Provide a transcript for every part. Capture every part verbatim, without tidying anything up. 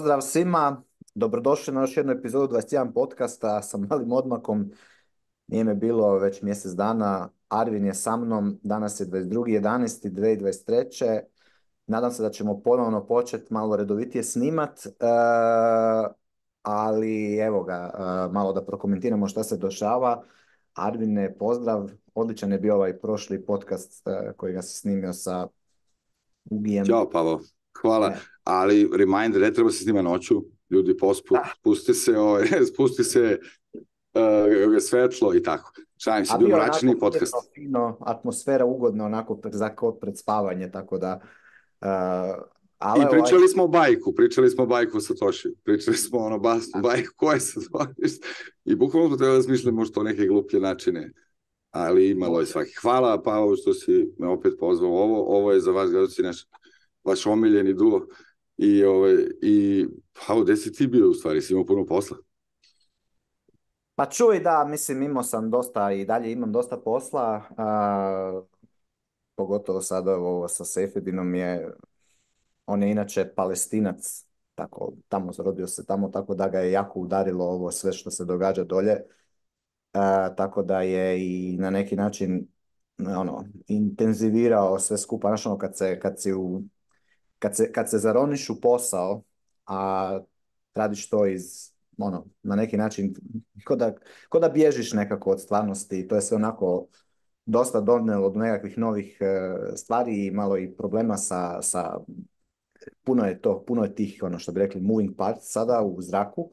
Pozdrav svima, dobrodošli na još jednu epizodu dvadeset jedan podcasta sa malim odmakom. Nije me bilo već mjesec dana, Arvin je sa mnom, danas je dvadeset drugi jedanaesti dvadeset dvadeset treće. Nadam se da ćemo ponovno početi malo redovitije snimat, e, ali evo ga, e, malo da prokomentiramo šta se dešava. Arvine, pozdrav, odličan je bio ovaj prošli podcast e, koji ga se snimio sa Ugijem. Ćao, Pavo. Hvala. E. Ali, reminder, ne treba se snima noću. Ljudi, pospu, Da. spusti se, ovaj, spusti se uh, svetlo i tako. Šalim se, A bio bio mračni onako podcast. mirno, fino, atmosfera ugodna, onako pred, za kod pred spavanje, tako da... Uh, ali I ovaj, pričali smo o bajku, pričali smo o bajku sa Toši. Pričali smo ono basnu bajku koje se zvoriš. I bukvalno smo trebali da smišljamo što neke gluplje načine. Ali imalo je svaki. Hvala, Pavo, što si me opet pozvao. Ovo, ovo je za vas, gledaoci, naš vaš omiljeni duo. I, ovaj, i Pavo, gde si ti bio u stvari? Si imao puno posla? Pa čuj, da, mislim, imao sam dosta i dalje imam dosta posla, uh, pogotovo sad ovo sa Sejfedinom je, on je inače Palestinac, tako, tamo rodio se tamo, tako da ga je jako udarilo ovo sve što se događa dolje. Uh, tako da je i na neki način ono, intenzivirao sve skupa, znaš, ono, kad se, kad si u, kad se, kad se zaroniš u posao, a radiš to iz, ono, na neki način, ko da, ko da bježiš nekako od stvarnosti, to je sve onako dosta donijelo do nekakvih novih uh, stvari i malo i problema sa, sa, puno je to, puno je tih, ono što bi rekli, moving parts sada u zraku.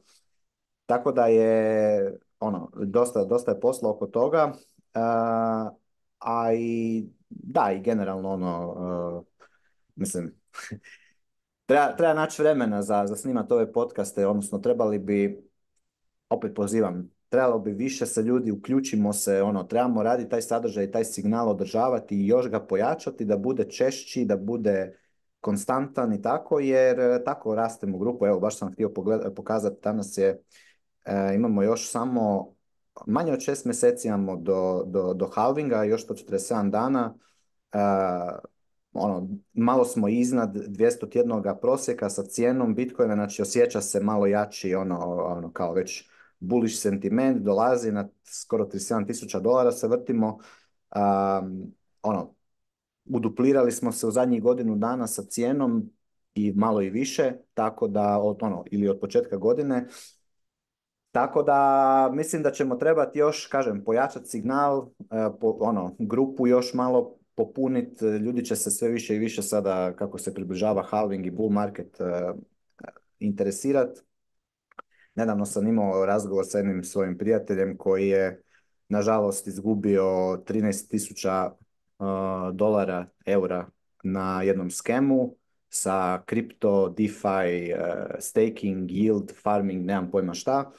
Tako da je, ono, dosta, dosta je posla oko toga, uh, a i, da, i generalno, ono, uh, mislim, treba, treba naći vremena za, za snimati ove podcaste, odnosno trebali bi, opet pozivam, trebalo bi više se ljudi, uključimo se, ono, trebamo raditi taj sadržaj, taj signal održavati i još ga pojačati, da bude češći, da bude konstantan i tako, jer uh, tako rastemo u grupu. Evo, baš sam htio pogled, pokazati, danas je E, imamo još samo manje od šest mjeseci imamo do, do, do halvinga, još sto četrdeset sedam dana. E, ono, malo smo iznad dvjesto tjednoga prosjeka sa cijenom Bitcoina, znači osjeća se malo jači, ono, ono kao već bullish sentiment, dolazi na skoro trideset sedam tisuća dolara se vrtimo. Um, ono, uduplirali smo se u zadnjih godinu dana sa cijenom i malo i više, tako da od, ono, ili od početka godine. Tako da mislim da ćemo trebati još, kažem, pojačati signal, e, po, ono, grupu još malo popuniti, ljudi će se sve više i više sada, kako se približava halving i bull market, e, interesirati. Nedavno sam imao razgovor sa jednim svojim prijateljem koji je, nažalost, izgubio trinaest tisuća uh, dolara, eura na jednom skemu sa kripto, DeFi, uh, staking, yield, farming, nemam pojma šta.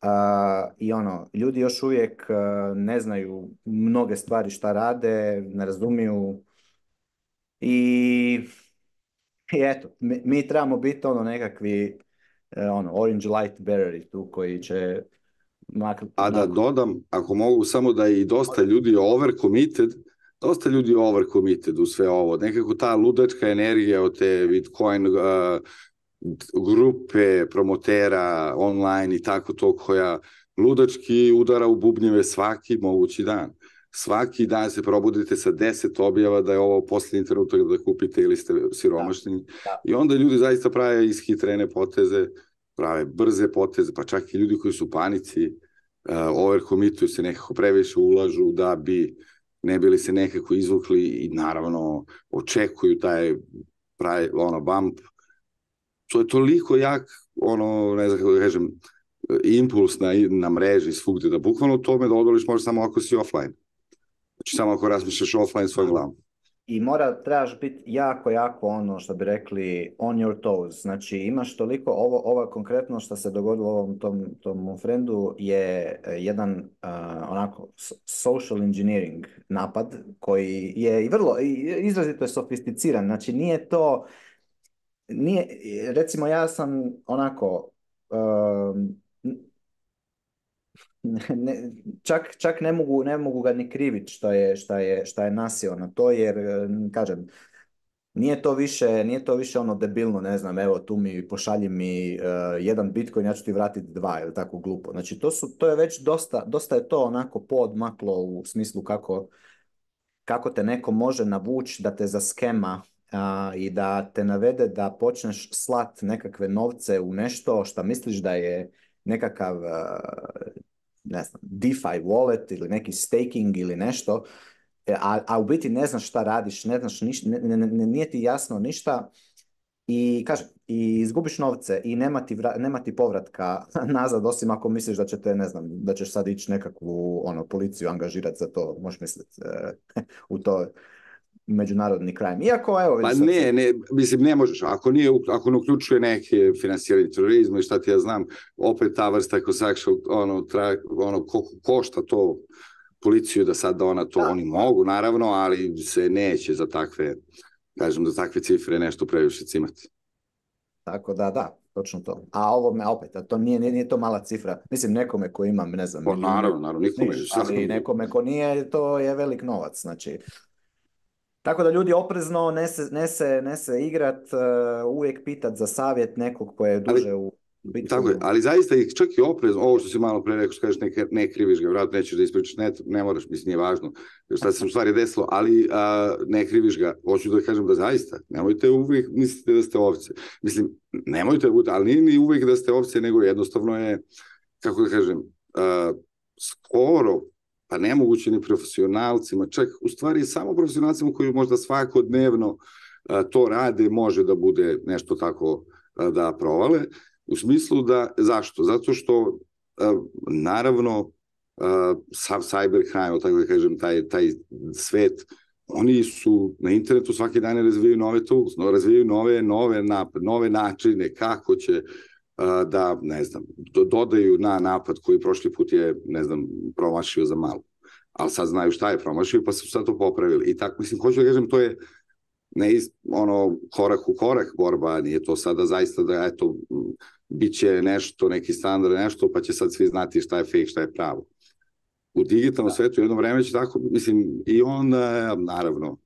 Uh, I ono, ljudi još uvijek uh, ne znaju mnoge stvari šta rade, ne razumiju i, i eto, mi, mi trebamo biti ono nekakvi uh, ono, orange light beareri tu koji će mak, A da onako, dodam, ako mogu samo da je i dosta ljudi overcommitted, dosta ljudi overcommitted u sve ovo. Nekako ta ludačka energija od te Bitcoin uh, grupe, promotera, online i tako to, koja ludački udara u bubnjeve svaki mogući dan. Svaki dan se probudite sa deset objava da je ovo posljednji trenutak da kupite ili ste siromašni. da, da. I onda ljudi zaista prave ishitrene poteze, prave brze poteze, pa čak i ljudi koji su u panici, uh, overcommituju se, nekako previše ulažu da bi ne bili se nekako izvukli i naravno očekuju taj pravi, ono, bump. To je toliko jak, ono, ne znam kako da kažem, impuls na, na mreži svugde, da bukvalno tome da odoliš može samo ako si offline. Znači samo ako razmišljaš offline svojom glavom. I mora, trebaš biti jako, jako ono što bi rekli on your toes. Znači imaš toliko, ovo, ovo konkretno što se dogodilo ovom tom, tom friendu je jedan uh, onako social engineering napad koji je i vrlo, izrazito je sofisticiran. Znači nije to, nije, recimo ja sam onako, um, ne, čak, čak ne mogu, ne mogu ga ni kriviti što je, šta je, šta je nasio na to, jer, kažem, Nije to više, nije to više ono debilno, ne znam, evo tu mi pošalji mi uh, jedan Bitcoin, ja ću ti vratiti dva ili tako glupo. Znači to su, to je već dosta, dosta je to onako poodmaklo u smislu kako, kako te neko može navući da te zaskema a, i da te navede da počneš slat nekakve novce u nešto što misliš da je nekakav a, ne znam, DeFi wallet ili neki staking ili nešto, e, a, a u biti ne znaš šta radiš, ne znaš ništa, ne, ne, ne, nije ti jasno ništa i kažem, i izgubiš novce i nema ti, vra, nema ti povratka nazad, osim ako misliš da će te, ne znam, da ćeš sad ići nekakvu ono, policiju angažirati za to, možeš misliti e, u to međunarodni crime. Iako, evo, Pa vidiš sad se... ne, ne, mislim, ne možeš, ako, nije, ako ne uključuje neke finansiranje terorizma i šta ti ja znam, opet ta vrsta ako sexual, ono, tra, ono ko, košta to policiju da sad ona to, Da, oni mogu, naravno, ali se neće za takve, kažem, za takve cifre nešto previše cimati. tako da, da, točno to. A ovo me opet, a to nije, nije, nije to mala cifra. Mislim, nekome ko ima, ne znam, Pa milijune, naravno, naravno, nikome. niš, ali nekome ko nije, to je velik novac. Znači, tako da ljudi oprezno ne se, ne se, ne se igrat, uh, uvijek pitat za savjet nekog ko je Ali duže u tako je, Bitcoinu. ali zaista i čak i oprezno, ovo što si malo pre rekao, što kažeš ne, ne kriviš ga, vratno nećeš da ispričaš, ne, ne moraš, mislim, nije važno šta se u stvari desilo, ali a, ne kriviš ga, hoću da kažem da zaista, nemojte uvijek mislite da ste ovce. Mislim, nemojte da budete, ali nije ni uvijek da ste ovce, nego jednostavno je, kako da kažem, a, skoro, pa nemoguće ni profesionalcima, čak u stvari samo profesionalcima koji možda svakodnevno a, to rade, može da bude nešto tako a, da provale. U smislu da, zašto? Zato što, naravno, sav cybercrime, tako da kažem, taj, taj svet, oni su na internetu svaki dan razvijaju nove tools, razvijaju nove, nove, napad, nove načine kako će da, ne znam, dodaju na napad koji prošli put je, ne znam, promašio za malo. Ali sad znaju šta je promašio, pa su sad to popravili. I tako, mislim, hoću da kažem, to je ne iz, ono, korak u korak borba, nije to sada zaista da, eto, bit će nešto, neki standard, nešto, pa će sad svi znati šta je fake, šta je pravo. U digitalnom svetu jedno vreme će tako, mislim, i onda, naravno,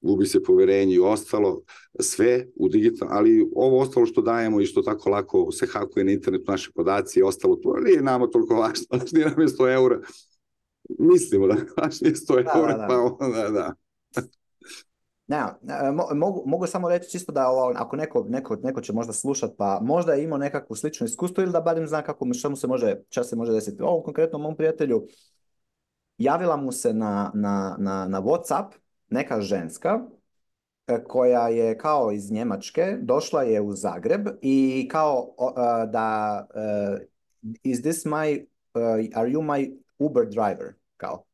gubi se poverenje i ostalo, sve u digitalnom, ali ovo ostalo što dajemo i što tako lako se hakuje na internetu, naše podaci i ostalo, to nije nama toliko važno, nije nam je sto eura. Mislimo da važno je sto eura, Da, da, da. pa onda, da. Ne, mogu, mogu samo reći čisto da ovo, ako neko, neko, neko će možda slušat, pa možda je imao nekakvo slično iskustvo ili da barem zna kako, šta mu se može, šta se može desiti. Ovom konkretnom mom prijatelju javila mu se na, na, na, na WhatsApp neka ženska koja je kao iz Njemačke, došla je u Zagreb i kao uh, da uh, is this my, uh, are you my Uber driver? Kao,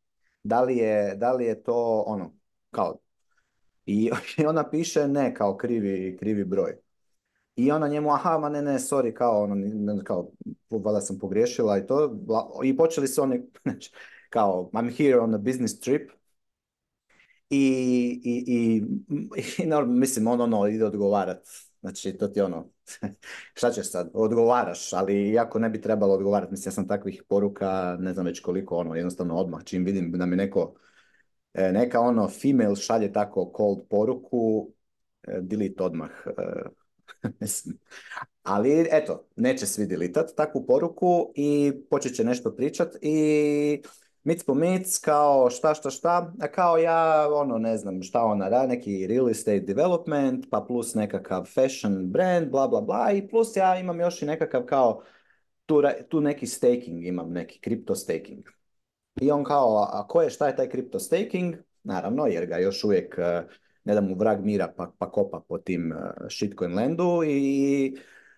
da li je, da li je to ono, kao, i ona piše ne, kao krivi, krivi broj. I ona njemu, aha, ma ne, ne, sorry, kao, ono, kao, valjda sam pogriješila i to. I počeli su oni, kao, I'm here on a business trip. I, i, i, i no, mislim, ono, ono, ide odgovarat. Znači, to ti ono, šta ćeš sad, odgovaraš, ali iako ne bi trebalo odgovarati, mislim, ja sam takvih poruka, ne znam već koliko, ono, jednostavno odmah, čim vidim da mi neko, neka ono, female šalje tako cold poruku, delete odmah. Mislim. Ali eto, neće svi delitat takvu poruku i počet će nešto pričat i mic po mic, kao šta šta šta, a kao ja, ono, ne znam šta ona radi, neki real estate development, pa plus nekakav fashion brand, bla bla bla, i plus ja imam još i nekakav kao, tu, tu neki staking imam, neki crypto staking. I on kao, a ko je, šta je taj crypto staking? Naravno, jer ga još uvijek ne da mu vrag mira pa, pa kopa po tim uh, shitcoin landu i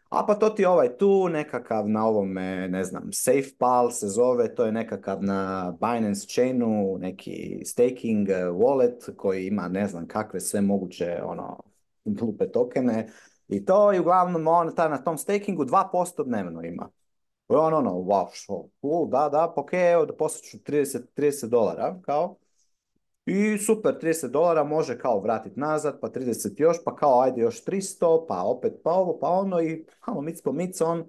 a pa to ti je ovaj tu nekakav na ovome, ne znam, SafePal se zove, to je nekakav na Binance Chainu, neki staking uh, wallet koji ima ne znam kakve sve moguće ono glupe tokene i to i uglavnom on ta, na tom stakingu dva posto dnevno ima. Ono, ono, wow, šo, cool, da, da, pa ok, evo da posjeću trideset, trideset dolara, kao. I super, trideset dolara može kao vratiti nazad, pa trideset još, pa kao ajde još tristo, pa opet pa ovo, pa ono i malo mic po mic on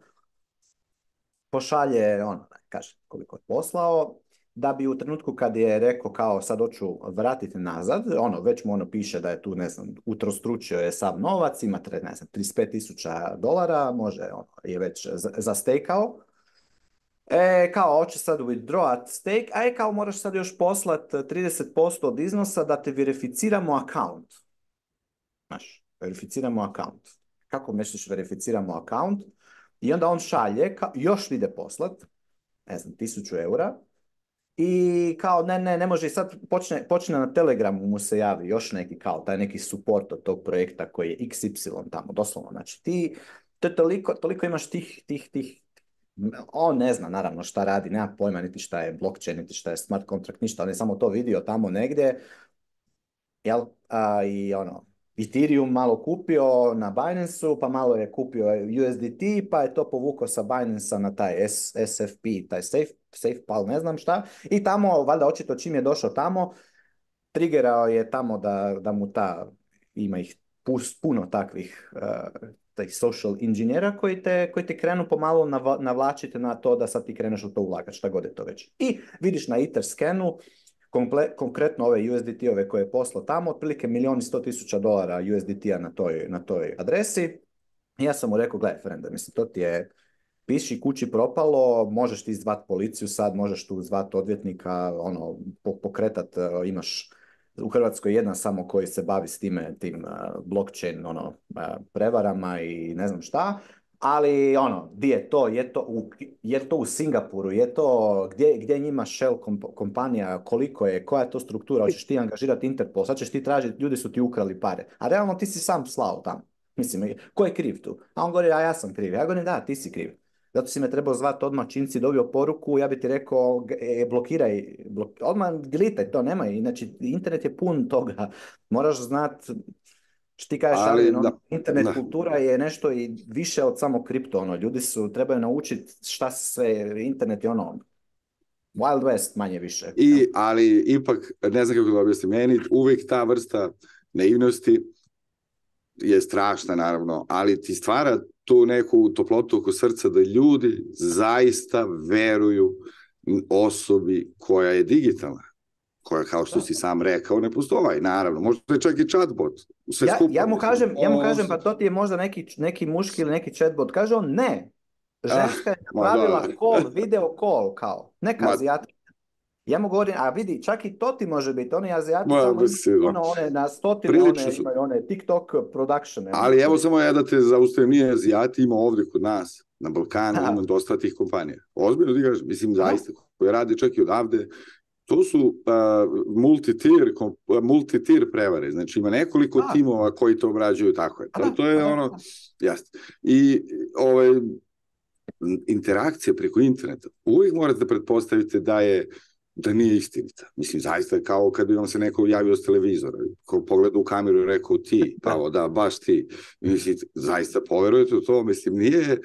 pošalje, ono, kaže koliko je poslao da bi u trenutku kad je rekao kao sad hoću vratiti nazad, ono, već mu ono piše da je tu, ne znam, utrostručio je sav novac, ima, tre- ne znam, trideset pet tisuća dolara, može, ono, je već za- zastekao. E, kao, hoće sad withdrawat stake, a je kao, moraš sad još poslat trideset posto od iznosa da te verificiramo account. Znaš, verificiramo account. Kako misliš verificiramo account? I onda on šalje, kao, još ide poslat, ne znam, tisuću eura, i kao, ne, ne, ne može, i sad počne, počne na Telegramu mu se javi još neki, kao, taj neki support od tog projekta koji je iks ipsilon tamo, doslovno, znači ti, to je toliko, toliko imaš tih, tih, tih, on ne zna naravno šta radi, nema pojma niti šta je blockchain, niti šta je smart contract, ništa, on je samo to vidio tamo negdje, jel, a, i ono, Ethereum malo kupio na Binance-u, pa malo je kupio U S D T, pa je to povukao sa Binance-a na taj S, SFP, taj Safe, SafePal, ne znam šta, i tamo, valjda očito čim je došao tamo, trigerao je tamo da, da mu ta, ima ih pus, puno takvih uh, tih social inženjera koji te, koji te krenu pomalo nav, navlačiti na to da sad ti kreneš u to ulagati, šta god je to već. I vidiš na Etherscanu, komple, konkretno ove U S D T-ove koje je poslao tamo, otprilike milijon i sto tisuća dolara U S D T-a na toj, na toj adresi. I ja sam mu rekao, gledaj, frende, mislim, to ti je piši kući propalo, možeš ti zvat policiju sad, možeš tu zvat odvjetnika, ono, pokretat, uh, imaš u Hrvatskoj jedan samo koji se bavi s time, tim uh, blockchain, ono, uh, prevarama i ne znam šta, ali ono, gdje je to, je to u, je to u Singapuru, je to, gdje, gdje je njima Shell komp- kompanija, koliko je, koja je to struktura, hoćeš ti angažirati Interpol, sad ćeš ti tražiti, ljudi su ti ukrali pare, a realno ti si sam slao tamo. Mislim, ko je kriv tu? A on govori, a ja sam kriv. Ja govorim, da, ti si kriv. Zato si me trebao zvati odmah čim si dobio poruku, ja bi ti rekao, e, blokiraj, blok, odmah glitaj, to nemaj, inače internet je pun toga, moraš znat, što ti kažeš, Ali, Alvin, da, ono, internet da. kultura je nešto i više od samo kripto, ono, ljudi su, trebaju naučiti šta se sve, internet je ono, Wild West manje više. Jel? I, ali ipak, ne znam kako da objasnim, meni uvijek ta vrsta naivnosti je strašna, naravno, ali ti stvara tu neku toplotu oko srca da ljudi zaista veruju osobi koja je digitalna, koja, kao što si sam rekao, ne postoji, naravno. Možda je čak i chatbot. Sve Ja, skupa, ja mu mislim. kažem, ja mu kažem, Os- pa to ti je možda neki, neki muški ili neki chatbot. Kaže on, ne. Ah, Ženska je ma da, napravila call, video call, kao. Neka ma, Azijat. Ja mu govorim, a vidi, čak i to ti može biti. Oni Azijati ma, tamo imaju mislim, ono, one na stotine, prilično one su, imaju one TikTok productione. ali evo samo ja da te zaustavim, nije Azijati, ima ovde kod nas, na Balkanu, ima dosta tih kompanija. Ozbiljno ti kažeš, mislim, zaista, koje rade čak i odavde, to su uh, multi-tier, kom- multi-tier prevare, znači ima nekoliko Da. timova koji to obrađuju, tako je. A To, da, to a je da, ono, da. jasno. I ovaj, interakcija preko interneta, uvijek morate da pretpostavite da je da nije istinita. Mislim, zaista kao kad bi vam se neko javio s televizora, ko pogleda u kameru i rekao ti, pa da, baš ti. Mislim, zaista poverujete u to, mislim, nije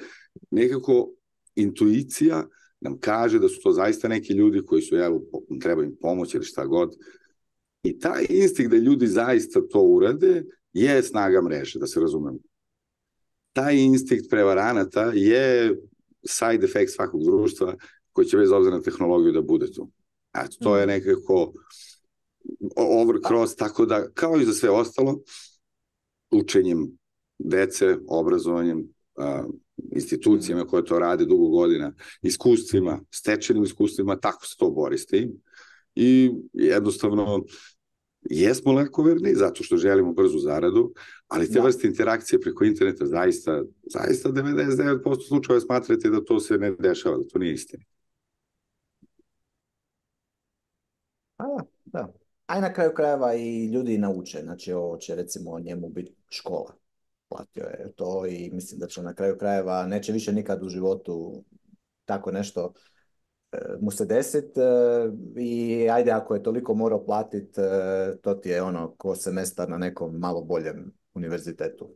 nekako intuicija nam kaže da su to zaista neki ljudi koji su, jel, treba im pomoći ili šta god. I taj instinkt da ljudi zaista to urade je snaga mreže, da se razumemo. Taj instinkt prevaranata je side effect svakog društva koji će bez obzira na tehnologiju da bude tu. Eto, to je nekako overcross, tako da, kao i za sve ostalo, učenjem dece, obrazovanjem, a, institucijama koje to rade dugo godina, iskustvima, stečenim iskustvima, tako se to bori s tim. I jednostavno, jesmo lakoverni, zato što želimo brzu zaradu, ali te Da. vrste interakcije preko interneta zaista, zaista devedeset devet posto slučajeva smatrate da to se ne dešava, da to nije istina. A da, da. A i na kraju krajeva i ljudi nauče, znači ovo će recimo njemu biti škola. Platio je to i mislim da će na kraju krajeva, neće više nikad u životu tako nešto e, mu se desit e, i ajde ako je toliko morao platit, e, to ti je ono ko semestar na nekom malo boljem univerzitetu.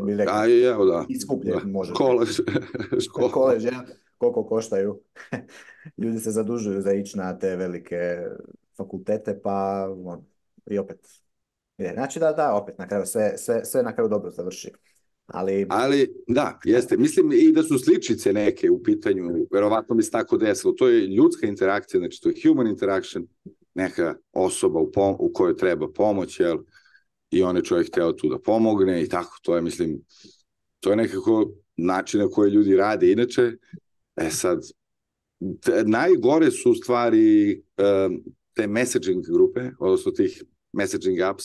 Bi rekao, A i evo da, i skuplje da. može Škola, biti. škola. Koleđ, ja, koliko koštaju. Ljudi se zadužuju za ići na te velike fakultete, pa on, i opet. Je. Znači da, da, opet na kraju sve, sve, sve na kraju dobro završi. Ali, Ali, da, jeste. Mislim i da su sličice neke u pitanju, verovatno bi se tako desilo. To je ljudska interakcija, znači to je human interaction, neka osoba u, pom u kojoj treba pomoć, jel? I on je čovjek hteo tu da pomogne i tako, to je, mislim, to je nekako način na koji ljudi rade. Inače, e sad, najgore su u stvari um, te messaging grupe, odnosno tih messaging apps,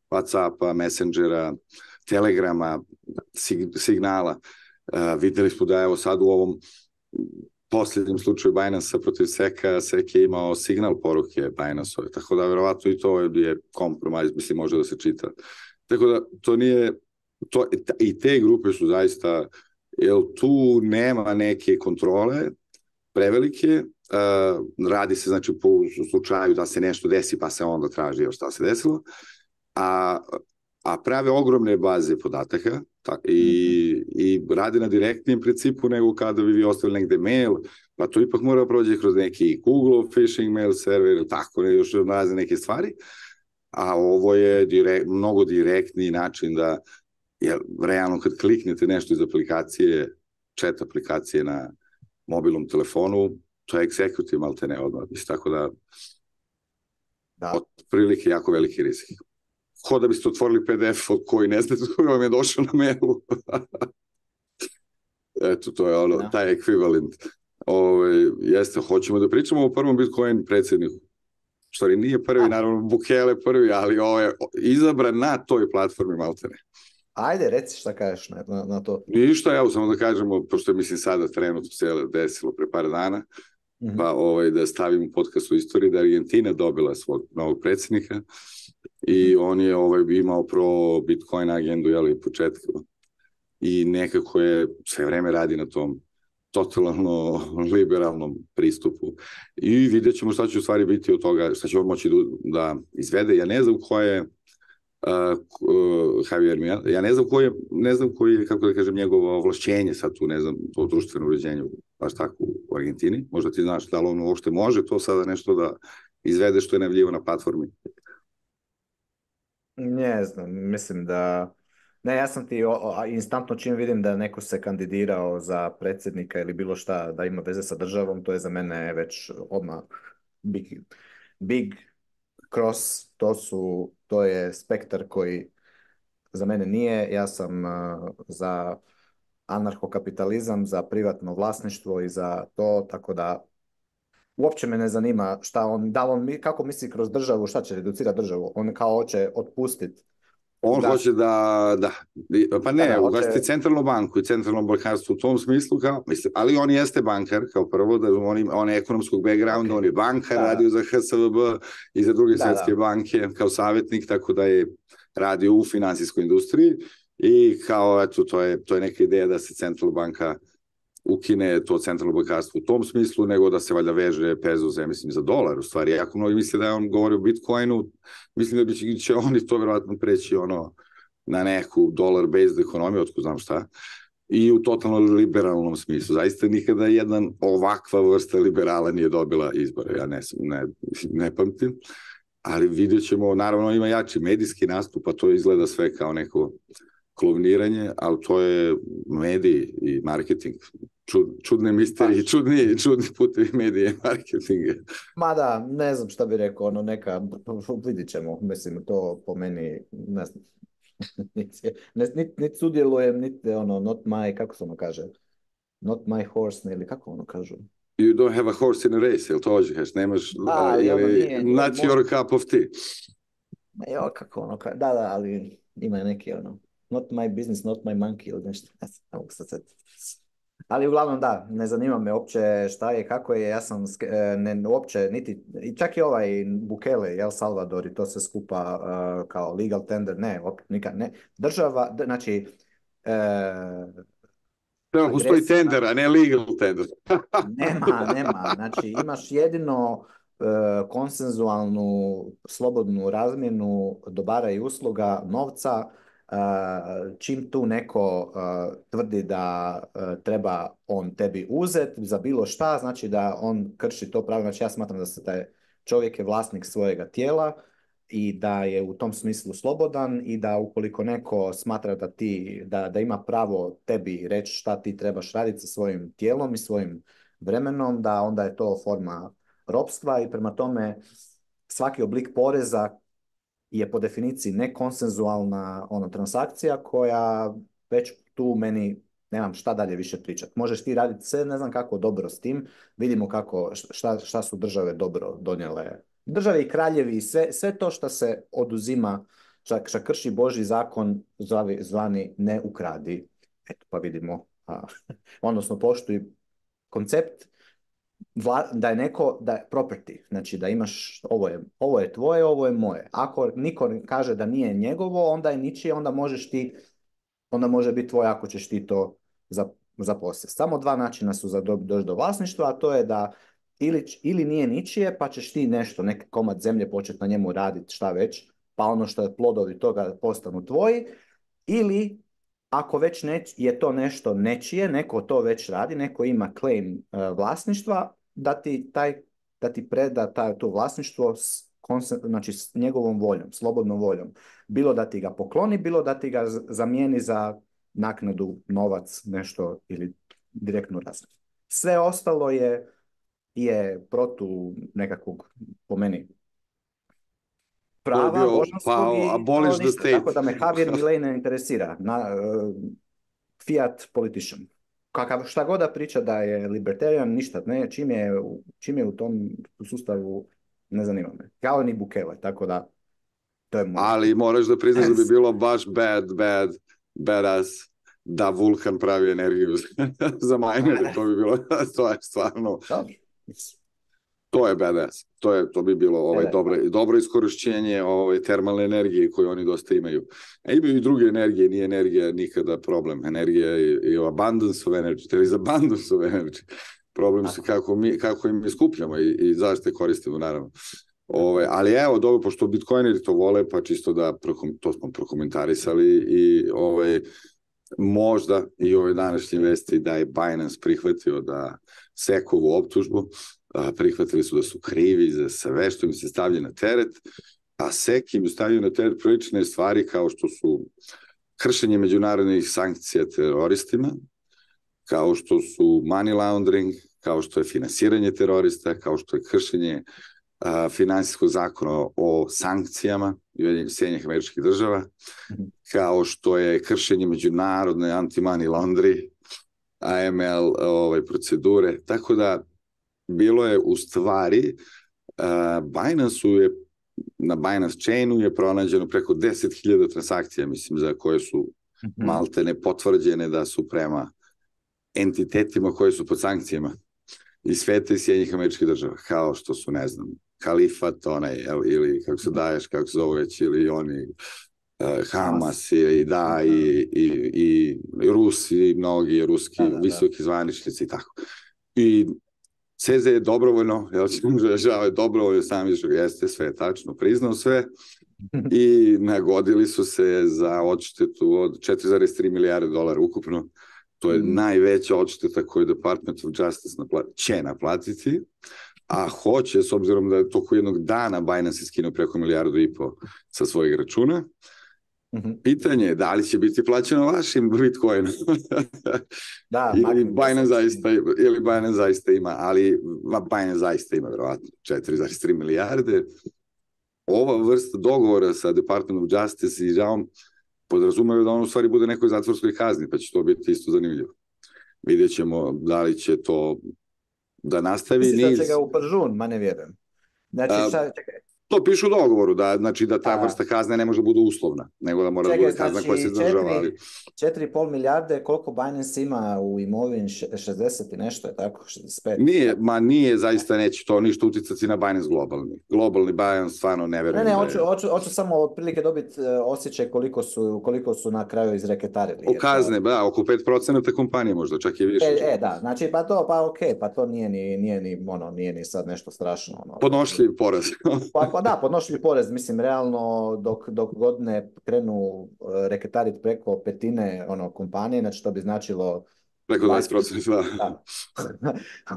WhatsAppa, Messengera, Telegrama, sig signala. Uh, videli smo da evo sad u ovom posljednjem slučaju Binance-a protiv Seka, Sek je imao signal poruke Binance-ove, tako da verovatno i to je kompromis, mislim, može da se čita. Tako da to nije, to, i te grupe su zaista, jer tu nema neke kontrole prevelike, uh, radi se znači po slučaju da se nešto desi pa se onda traži još šta se desilo, a, a prave ogromne baze podataka ta, i, i radi na direktnijem principu nego kada bi vi ostavili negde mail, pa to ipak mora prođe kroz neki Google phishing mail server, tako ne, još razne neke stvari, a ovo je direkt, mnogo direktniji način da, jer realno kad kliknete nešto iz aplikacije, chat aplikacije na mobilnom telefonu, to je executive malte ne odmah, tako da, da. Otprilike jako veliki rizik. Ko da biste otvorili P D F od koji ne znate koji vam je došao na mailu. Eto, to je ono, da. Taj ekvivalent. Ove, jeste, hoćemo da pričamo o prvom Bitcoin predsjedniku. Stvari, nije prvi, A. naravno, Bukele prvi, ali ovo je izabran na toj platformi maltene. Ajde, reci šta kažeš na, na, na to. Ništa, evo samo da kažemo, pošto je mislim sada trenutno se desilo pre par dana, mm-hmm. pa ovaj, da stavimo podcast u istoriji, da Argentina dobila svog novog predsjednika i on je ovaj, imao pro Bitcoin agendu, jel, početku. I nekako je sve vreme radi na tom totalno liberalnom pristupu. I vidjet ćemo šta će u stvari biti od toga, šta će on moći da, da izvede. Ja ne znam ko je uh, uh, Javier Milei, ja ne znam ko je, ne znam koji je, kako da kažem, njegovo ovlašćenje sad tu, ne znam, to društveno uređenje, baš tako u Argentini. Možda ti znaš da li on uopšte može to sada nešto da izvede što je najavljivo na platformi. Ne znam, mislim da... Ne, ja sam ti o, o, instantno čim vidim da neko se kandidirao za predsjednika ili bilo šta da ima veze sa državom, to je za mene već odmah big, big cross, to, su, to je spektar koji za mene nije. Ja sam uh, za anarhokapitalizam, za privatno vlasništvo i za to, tako da uopće me ne zanima šta on, da on, kako misli kroz državu, šta će reducirati državu, on kao hoće otpustiti. On da. hoće da, da, pa ne, da, ugasiti hoće... centralnu banku i centralno bankarstvo u tom smislu, kao, mislim, ali on jeste bankar, kao prvo, da on, on je ekonomskog backgrounda, okay. On je bankar, da, radio za H S V B i za druge da, svetske da. banke kao savjetnik, tako da je radio u finansijskoj industriji i kao, eto, to je, to je neka ideja da se centralna banka ukine to centralno bankarstvo u tom smislu, nego da se valjda veže pezo, ja mislim, za dolar, u stvari. Jako mnogi misle da je on govori o Bitcoinu, mislim da bi će, će oni to vjerojatno preći ono, na neku dollar-based ekonomiju, otko znam šta, i u totalno liberalnom smislu. Zaista nikada jedan ovakva vrsta liberala nije dobila izbore, ja ne, ne, ne pamtim, ali vidjet ćemo, naravno ima jači medijski nastup, a to izgleda sve kao neko kloniranje, ali to je mediji i marketing. Čud, čudne misterije, pa. čudni, čudni putevi medije i marketinga. Ma da, ne znam šta bi rekao, ono neka, vidit ćemo, mislim, to po meni, ne znam, niti nit, nit sudjelujem, niti ono, not my, kako se ono kaže, not my horse, ili kako ono kažu. You don't have a horse in a race, jel to ođeš, nemaš, a, uh, ono, nije, not nije, your cup of tea. Jo, kako ono, da, da, ali ima neki ono, not my business, not my monkey, ili nešto, ne znam, ne mogu sad. Ali uglavnom da, ne zanima me uopće šta je, kako je, ja sam ne, uopće niti, i čak i ovaj Bukele, El Salvador i to se skupa uh, kao legal tender, ne, op, nikad, ne, država, znači... Uh, Treba, postoji tender, a ne legal tender. nema, nema, znači imaš jedino uh, konsenzualnu, slobodnu razmjenu dobara i usluga, novca. Uh, čim tu neko uh, tvrdi da uh, treba on tebi uzeti za bilo šta, znači da on krši to pravo. Znači ja smatram da se taj čovjek je vlasnik svojega tijela i da je u tom smislu slobodan i da ukoliko neko smatra da ti, da, da ima pravo tebi reći šta ti trebaš raditi sa svojim tijelom i svojim vremenom, da onda je to forma ropstva i prema tome svaki oblik poreza je po definiciji nekonsenzualna ono, transakcija koja već tu meni nemam šta dalje više pričati. Možeš ti raditi sve, ne znam kako dobro s tim, vidimo kako, šta, šta su države dobro donijele. Države i kraljevi, sve, sve to što se oduzima, šta, šta krši Božji zakon, zvavi, zvani ne ukradi. Eto, pa vidimo. A, odnosno, poštuj koncept Vla, da je neko, da je property, znači da imaš, ovo je, ovo je tvoje, ovo je moje. Ako niko kaže da nije njegovo, onda je ničije, onda možeš ti, onda može biti tvoje ako ćeš ti to zaposliti. Samo dva načina su za doći do vlasništva, a to je da ili, ili nije ničije, pa ćeš ti nešto, neki komad zemlje početi na njemu raditi, šta već, pa ono što je plodovi toga postanu tvoji, ili ako već ne, je to nešto nečije, neko to već radi, neko ima claim uh, vlasništva, da ti, taj, da ti preda taj, to vlasništvo s, znači, s njegovom voljom, slobodnom voljom. Bilo da ti ga pokloni, bilo da ti ga zamijeni za naknadu, novac, nešto ili direktnu razliku. Sve ostalo je, je protu nekakvog, po meni, prava božanskog i abolish the state. Tako da me Javier Milei ne interesira. Na, uh, fiat politician. Kakav, šta god da priča da je libertarian, ništa. Ne, čim, je, čim je u tom sustavu, ne zanima me. Kao ni Bukele, tako da to je moj. Ali moraš da priznaš da bi bilo baš bad, bad, badass da Vulkan pravi energiju za minere. To bi bilo, to je stvarno... To je badass. To, je, to bi bilo ovaj, dobro, dobro iskorišćenje ovaj, termalne energije koju oni dosta imaju. A imaju i druge energije, nije energija nikada problem. Energija je i abundance of energy, there is abundance of energy. Problem se kako, mi, kako im iskupljamo i, i zašto je koristimo, naravno. Ove, ali evo, dobro, pošto bitcoineri to vole, pa čisto da prokom, to smo prokomentarisali i ovaj, možda i ove današnje vesti da je Binance prihvatio da Sekovu optužbu, prihvatili su da su krivi za sve što im se stavlja na teret, a Sek im stavljaju na teret prilične stvari kao što su kršenje međunarodnih sankcija teroristima, kao što su money laundering, kao što je finansiranje terorista, kao što je kršenje a, finansijskog zakona o sankcijama Sjedinjenih Američkih Država, kao što je kršenje međunarodne anti-money laundry, A M L ovaj, procedure, tako da bilo je u stvari, uh, Binance je, na Binance Chainu je pronađeno preko deset hiljada transakcija, mislim, za koje su mm-hmm. maltene potvrđene da su prema entitetima koje su pod sankcijama iz sveta i Sjedinjenih Američkih Država, kao što su, ne znam, Kalifat, onaj, ili kako se daješ, kako se zove već, ili oni, uh, Hamas, i da, i, i, i, i Rusi, mnogi ruski da, da, visoki zvaničnici i tako. I C Z je dobrovoljno, jel će mu žao je dobrovoljno, sam vidiš ga jeste, sve je tačno, priznao sve i nagodili su se za odštetu od četiri zarez tri milijarde dolara ukupno. To je mm. najveća odšteta koju Department of Justice napla- će naplatiti, a hoće, s obzirom da je toko jednog dana Binance iskinuo preko milijardu i po sa svojeg računa. Mm-hmm. Pitanje je da li će biti plaćeno vašim Bitcoinu. Da, ili, Binance zaista, ili Binance zaista ima, ali Binance zaista ima verovatno četiri zarez tri milijarde. Ova vrsta dogovora sa Department of Justice i žalom podrazumaju da on u stvari bude nekoj zatvorskoj kazni, pa će to biti isto zanimljivo. Vidjet ćemo da li će to da nastavi. Misliš niz... da će ga u pržun, ma ne vjerujem. Znači, šta, čekaj. To piše u dogovoru, da, znači da ta A, vrsta kazne ne može bude uslovna, nego da mora čekaj, da bude kazna znači, koja se izdržava. Ali... četiri i pol milijarde, koliko Binance ima u imovini, šezdeset i nešto je tako, šezdeset pet? Nije, ma nije, zaista neće to ništa uticati na Binance globalni. Globalni Binance stvarno ne verujem. Ne, ne, hoću, hoću, hoću samo otprilike dobiti osjećaj koliko su, koliko su na kraju izreketarili. O kazne, to... da, oko pet procenata kompanije možda, čak i više. E, e, da, znači pa to, pa okej, okay, pa to nije ni, nije ni, ono, nije ni sad nešto strašno. Ono. Podnošljiv poraz. pa, pa da, podnošljiv porez, mislim, realno, dok, dok god ne krenu reketariti preko petine ono, kompanije, znači to bi značilo Preko dvadeset procenta, da.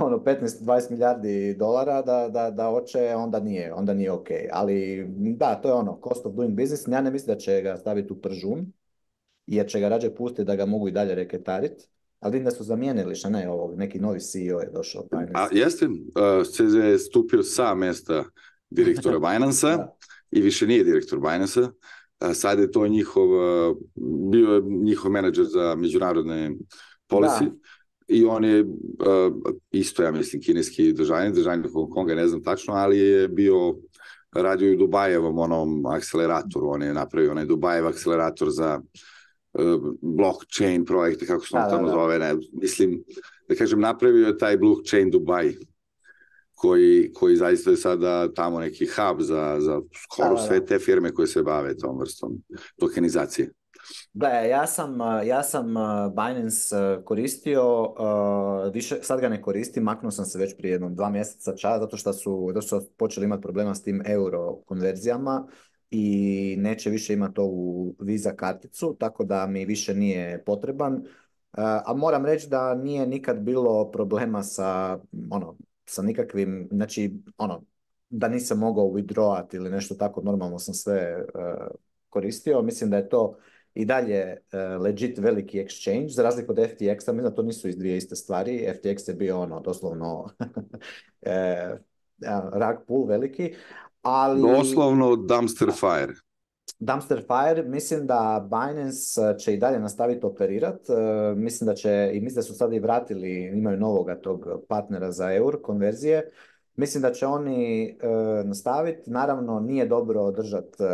ono petnaest dvadeset milijardi dolara da, da, da hoće, onda nije, onda nije ok. Ali da, to je ono, cost of doing business. Ja ne mislim da će ga staviti u pržun, jer će ga rađe pustiti da ga mogu i dalje reketariti. Ali vidim da su zamijenili, šta ne, ovog, neki novi C E O je došao. A jeste, uh, C Z je stupio sa mesta direktora Binance-a i više nije direktor Binance-a. Uh, sad je to njihov, uh, bio je njihov menadžer za međunarodne policy. Da. I on je uh, isto, ja mislim, kineski državnik, državnik Hong Konga, ne znam tačno, ali je bio, radio u Dubajevom onom akceleratoru, on je napravio onaj Dubajev akcelerator za uh, blockchain projekte, kako se on tamo zove, ne, mislim, da kažem, napravio je taj blockchain Dubai, koji, koji zaista je sada tamo neki hub za, za skoro da, da, da. sve te firme koje se bave tom vrstom tokenizacije. Da, ja sam, ja sam Binance koristio, više, sad ga ne koristim, maknuo sam se već prije jednom dva mjeseca čas, zato što su, zato što su počeli imati problema s tim euro konverzijama i neće više imati ovu Visa karticu, tako da mi više nije potreban. A moram reći da nije nikad bilo problema sa, ono, sa nikakvim, znači, ono, da nisam mogao withdrawati ili nešto tako, normalno sam sve uh, koristio. Mislim da je to i dalje uh, legit veliki exchange, za razliku od F T X-a, mislim da to nisu iz dvije iste stvari. F T X je bio ono, doslovno e, rug pull veliki, ali... Doslovno dumpster fire. Dumpster fire, mislim da Binance će i dalje nastaviti operirati, uh, mislim da će, i mislim da su sad i vratili, imaju novoga tog partnera za eur konverzije, mislim da će oni uh, nastaviti, naravno nije dobro držati uh,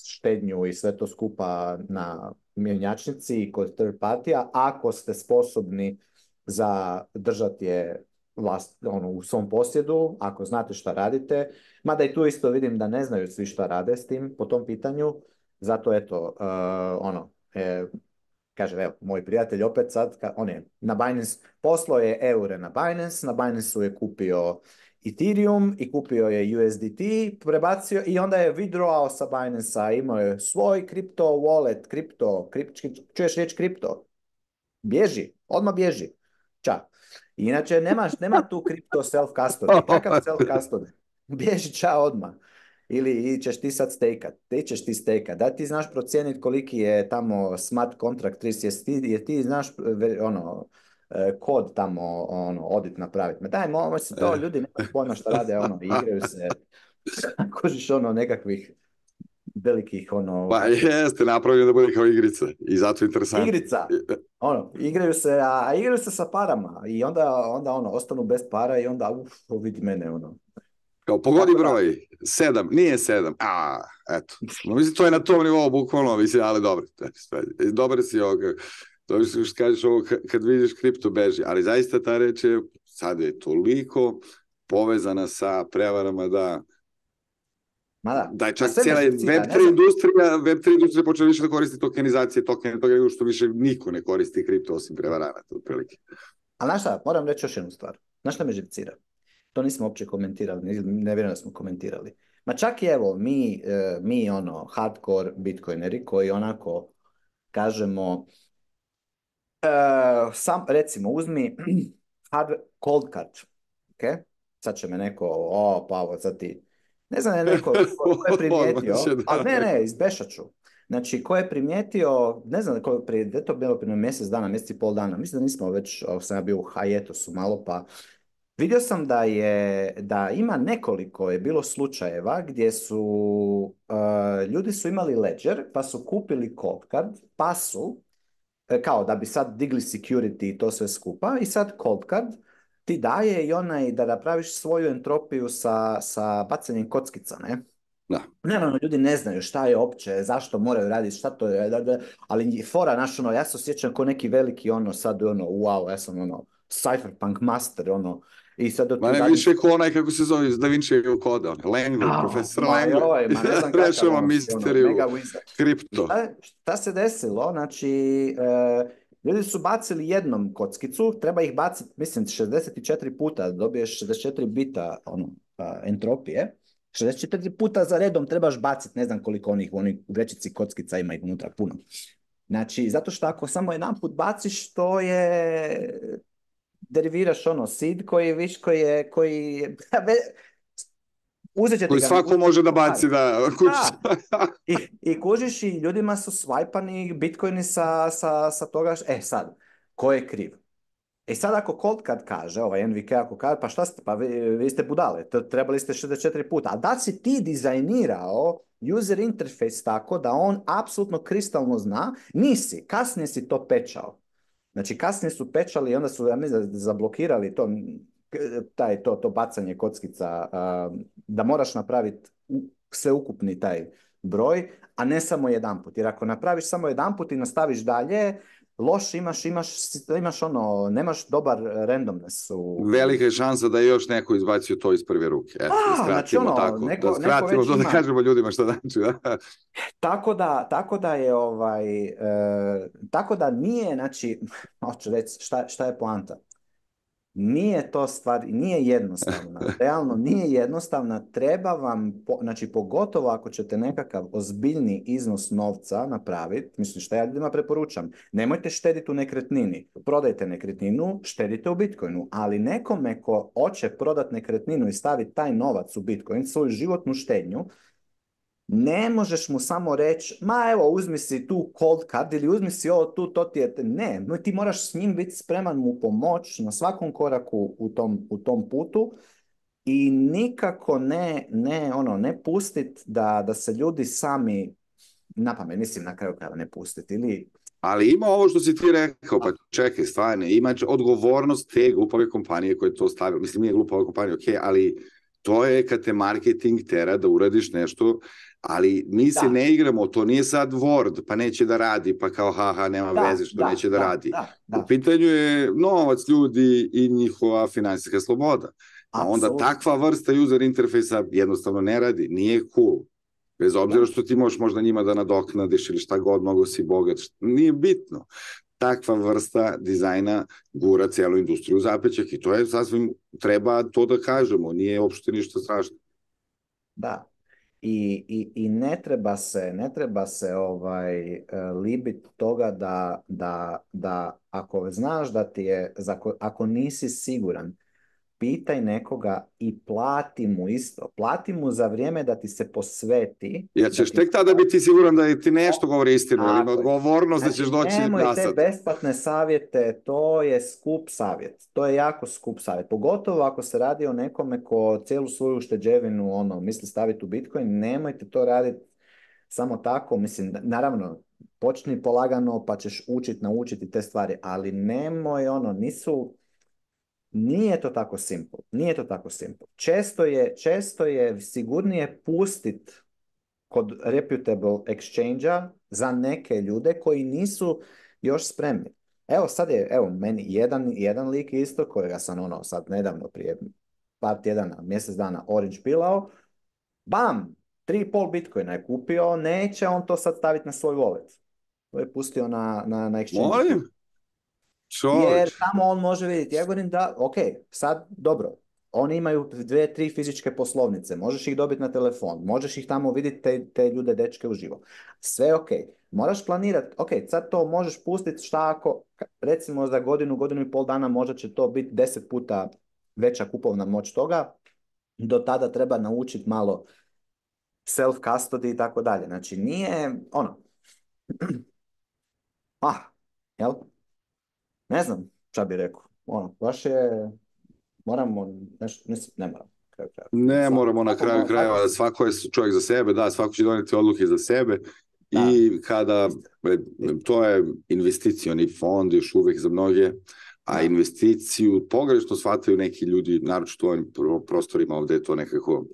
štednju i sve to skupa na mjenjačnici i kod third partija, ako ste sposobni za držati je vlast, ono, u svom posjedu, ako znate šta radite, mada i tu isto vidim da ne znaju svi šta rade s tim po tom pitanju, zato eto, uh, ono, e, kaže, evo, moj prijatelj opet sad, ka, on je na Binance, poslao je eure na Binance, na Binance-u je kupio Ethereum i kupio je U S D T, prebacio i onda je withdrawao sa Binance-a, imao je svoj kripto wallet, kripto, kripto, čuješ riječ kripto? Bježi, odmah bježi. Ča. Inače, nemaš, nema tu kripto self-custody. Kakav self-custody? Bježi ča odmah. Ili ćeš ti sad stejkat. Ti ćeš ti stejkat. Da ti znaš procijeniti koliki je tamo smart contract risk, jer ti, jer ti znaš ono, kod tamo ono, audit napraviti. Ma daj, molim se to, ljudi nema pojma šta rade, ono, igraju se, kužiš ono nekakvih velikih ono... Pa jeste, napravljeno da bude kao igrica i zato je interesantno. Igrica, ono, igraju se, a, a igraju se sa parama i onda, onda ono, ostanu bez para i onda, uf, vidi mene, ono. Kao pogodi broj, sedam, nije sedam, a, eto, no, mislim, to je na tom nivou, bukvalno, mislim, ali dobro, dobro si ovo, to što kažeš ovo, kad vidiš kripto beži, ali zaista ta reč je, sad je toliko povezana sa prevarama da Ma da, da je čak cijela web tri industrija, web tri industrija počela više da koristi tokenizacije, tokene, toga što više niko ne koristi kripto osim prevaranata, otprilike. Ali znaš šta, moram reći još jednu stvar. Znaš šta me živcira? To nismo uopće komentirali, ne, ne vjerujem da smo komentirali. Ma čak i evo, mi, mi ono, hardcore bitcoineri koji onako kažemo, uh, sam, recimo, uzmi hard, cold card, ok? Sad će me neko, o, pa ovo, sad ti... Ne znam, je neko ko je primijetio, ali ne, ne, izbešat ću. Znači, ko je primijetio, ne znam, ko je prije, to bilo prije mjesec dana, mjesec i pol dana, mislim da nismo već, sam ja bio u hiatusu malo, pa vidio sam da je, da ima nekoliko je bilo slučajeva gdje su, uh, ljudi su imali ledger, pa su kupili cold card, pa su, kao da bi sad digli security i to sve skupa, i sad cold card ti daje i onaj da napraviš svoju entropiju sa, sa bacanjem kockica, ne? Da. Naravno, ljudi ne znaju šta je opće, zašto moraju raditi, šta to je, da, da, ali fora, naš, ono, ja se osjećam kao neki veliki, ono, sad, ono, wow, ja sam, ono, cypherpunk master, ono, i sad... Ma ne dalje... više ko onaj, kako se zove, Da Vinci koda, ono, Langley, oh, profesor Langley. Joj, ma ne znam kakav, ono, misteriju, ono, kripto. Šta, šta se desilo, znači... E, ljudi su bacili jednom kockicu, treba ih baciti, mislim, šezdeset četiri puta, dobiješ šezdeset četiri bita ono, entropije. šezdeset četiri puta za redom trebaš baciti, ne znam koliko onih u onih vrećici kockica ima ih unutra puno. Znači, zato što ako samo jedan put baciš, to je, deriviraš ono seed koji, viš, koji je, koji je, uzet ćete Koji ga. svako uzet može da ćete ga. baci da kući. Da. I, I kužiš i ljudima su swipani bitcoini sa, sa, sa toga, e sad, ko je kriv? E sad ako Cold kad kaže, ovaj N V K ako kaže, pa šta ste, pa vi, vi ste budale, to trebali ste šezdeset četiri puta. A da si ti dizajnirao user interface tako da on apsolutno kristalno zna, nisi, kasnije si to pečao. Znači kasnije su pečali i onda su, ja mislim, zablokirali to, taj, to, to bacanje kockica, da moraš napraviti sveukupni taj broj, a ne samo jedanput. Jer ako napraviš samo jedanput i nastaviš dalje, loš imaš, imaš, imaš ono, nemaš dobar randomness. U... Velika je šansa da je još neko izbacio to iz prve ruke. Eto, A, da skratimo znači ono, tako. neko, da skratimo to, da ima. kažemo ljudima šta znači. Da? Tako da, tako da je ovaj, e, tako da nije, znači, hoću reći, šta, šta je poanta? Nije to stvar, nije jednostavna. Realno nije jednostavna. Treba vam, po, znači pogotovo ako ćete nekakav ozbiljni iznos novca napraviti, mislim šta ja ljudima preporučam, nemojte štediti u nekretnini. Prodajte nekretninu, štedite u Bitcoinu, ali nekome ko hoće prodati nekretninu i staviti taj novac u Bitcoin, svoju životnu štednju, ne možeš mu samo reći, ma evo, uzmi si tu cold card ili uzmi si ovo tu, to ti je... Ne, no, ti moraš s njim biti spreman mu pomoć na svakom koraku u tom, u tom putu i nikako ne, ne, ono, ne pustit da, da se ljudi sami napamet, mislim na kraju krajeva ne pustiti ili... Ali ima ovo što si ti rekao, pa čekaj, stvarno, ima odgovornost te glupave kompanije koje to stavila. Mislim, nije glupava kompanija, ok, ali to je kad te marketing tera da uradiš nešto, ali mi se da. ne igramo, to nije sad Word, pa neće da radi, pa kao haha, nema da, veze što da, neće da, da radi. Da, da. U pitanju je novac ljudi i njihova finansijska sloboda. A onda takva vrsta user interfejsa jednostavno ne radi, nije cool. Bez obzira što ti možeš možda njima da nadoknadiš ili šta god, mogo si bogat, nije bitno. Takva vrsta dizajna gura celu industriju u zapećak i to je sasvim, treba to da kažemo, nije uopšte ništa strašno. Da. I, i, i ne treba se, ne treba se ovaj, libit toga da, da, da ako znaš da ti je, ako nisi siguran, pitaj nekoga i plati mu isto. Plati mu za vrijeme da ti se posveti. Ja ćeš tek tada biti siguran da ti nešto govori istinu, ali ima odgovornost znači, da ćeš doći nemoj nasad. Nemoj te besplatne savjete, to je skup savjet. To je jako skup savjet. Pogotovo ako se radi o nekome ko cijelu svoju ušteđevinu ono, misli staviti u Bitcoin, nemojte to raditi samo tako. Mislim, naravno, počni polagano pa ćeš učiti, naučiti te stvari, ali nemoj ono, nisu... Nije to tako simple. Nije to tako simple. Često je, često je sigurnije pustit kod reputable exchange-a za neke ljude koji nisu još spremni. Evo sad je, evo meni jedan, jedan lik isto kojega sam ono sad nedavno prije par tjedana, mjesec dana orange pilao, bam, tri i pol bitcoina je kupio, neće on to sad staviti na svoj wallet. To je pustio na, na, na exchange. Molim? Čovječ. Jer tamo on može vidjeti, ja govorim da, ok, sad dobro, oni imaju dve, tri fizičke poslovnice, možeš ih dobiti na telefon, možeš ih tamo vidjeti te, te ljude, dečke uživo. Sve ok, moraš planirati, ok, sad to možeš pustiti šta ako, recimo za godinu, godinu i pol dana možda će to biti deset puta veća kupovna moć toga, do tada treba naučiti malo self-custody i tako dalje. Znači nije, ono, ah, jel? Ne znam šta bi rekao. Ono, baš je, moramo, nešto, ne moramo. Kraju, kraju. Ne svako, moramo na kraju krajeva, svako je čovjek za sebe, da, svako će doneti odluke za sebe da. I kada, to je investicioni fond još uvijek za mnoge, a da. Investiciju pogrešno shvataju neki ljudi, naročito u ovim prostorima ovdje je to nekako,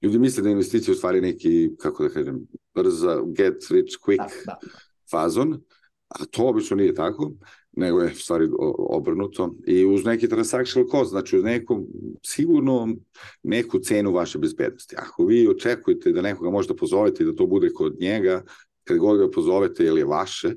ljudi misle da investicija u stvari neki, kako da kažem, brza, get rich quick da, da. Fazon, a to obično nije tako, nego je stvari obrnuto i uz neki transactional cost, znači uz neku, sigurno neku cenu vaše bezbednosti. Ako vi očekujete da nekoga možete pozovete i da to bude kod njega, kad god ga pozovete ili je vaše,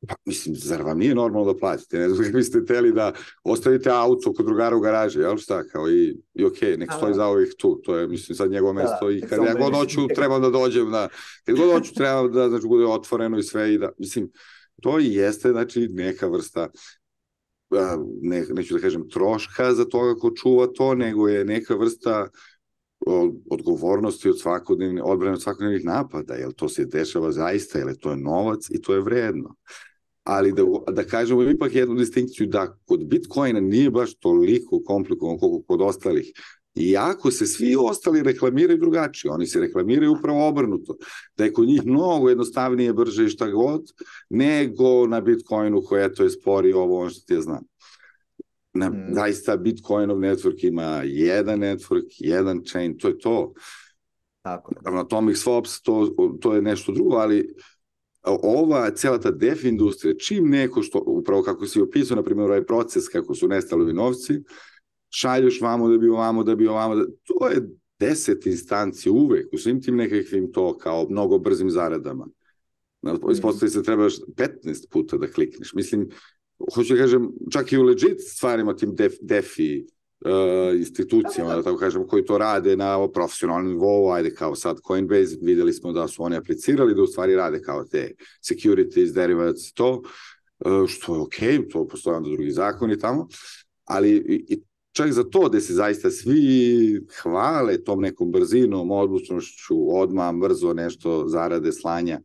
pa mislim, zar vam nije normalno da platite? Ne znam kako biste teli da ostavite auto kod drugara u garaži, jel šta, kao i, i ok, nek stoji za ovih tu, to je, mislim, sad njegovo mesto i kad ja god hoću, trebam da dođem, da, kad god hoću, trebam da, znači, bude otvoreno i sve i da, mislim, To i jeste, znači, neka vrsta, ne, neću da kažem troška za toga ko čuva to, nego je neka vrsta odgovornosti od svakodnevne, odbrane od svakodnevnih napada, jer to se dešava zaista, jer to je novac i to je vredno. Ali da, da kažemo ipak jednu distinkciju, da kod Bitcoina nije baš toliko komplikovan koliko kod ostalih. Iako se svi ostali reklamiraju drugačije, oni se reklamiraju upravo obrnuto, da je kod njih mnogo jednostavnije, brže i šta god, nego na Bitcoinu koja to je spori ovo, ono što ti ja znam. Na, mm. Zaista Bitcoinov network ima jedan network, jedan chain, to je to. Tako je. Atomic swaps, to, to je nešto drugo, ali ova cela ta def industrija, čim neko što, upravo kako si opisao, na primjer, ovaj proces kako su nestali ovi novci, šalješ vamo da bi ovamo, da bi ovamo, da... to je deset instanci uvek, u svim tim nekakvim to kao mnogo brzim zaradama. Ispostavi se trebaš petnaest puta da klikneš. Mislim, hoću da kažem, čak i u legit stvarima, tim def, defi uh, institucijama, da, da, da tako kažem, koji to rade na profesionalnom nivou, ajde kao sad Coinbase, videli smo da su oni aplicirali, da u stvari rade kao te securities, derivatives, to, uh, što je okej, okay, to postoje onda drugi zakoni tamo, ali i čak za to da se zaista svi hvale tom nekom brzinom, odlučnošću, odmah, brzo nešto zarade, slanja,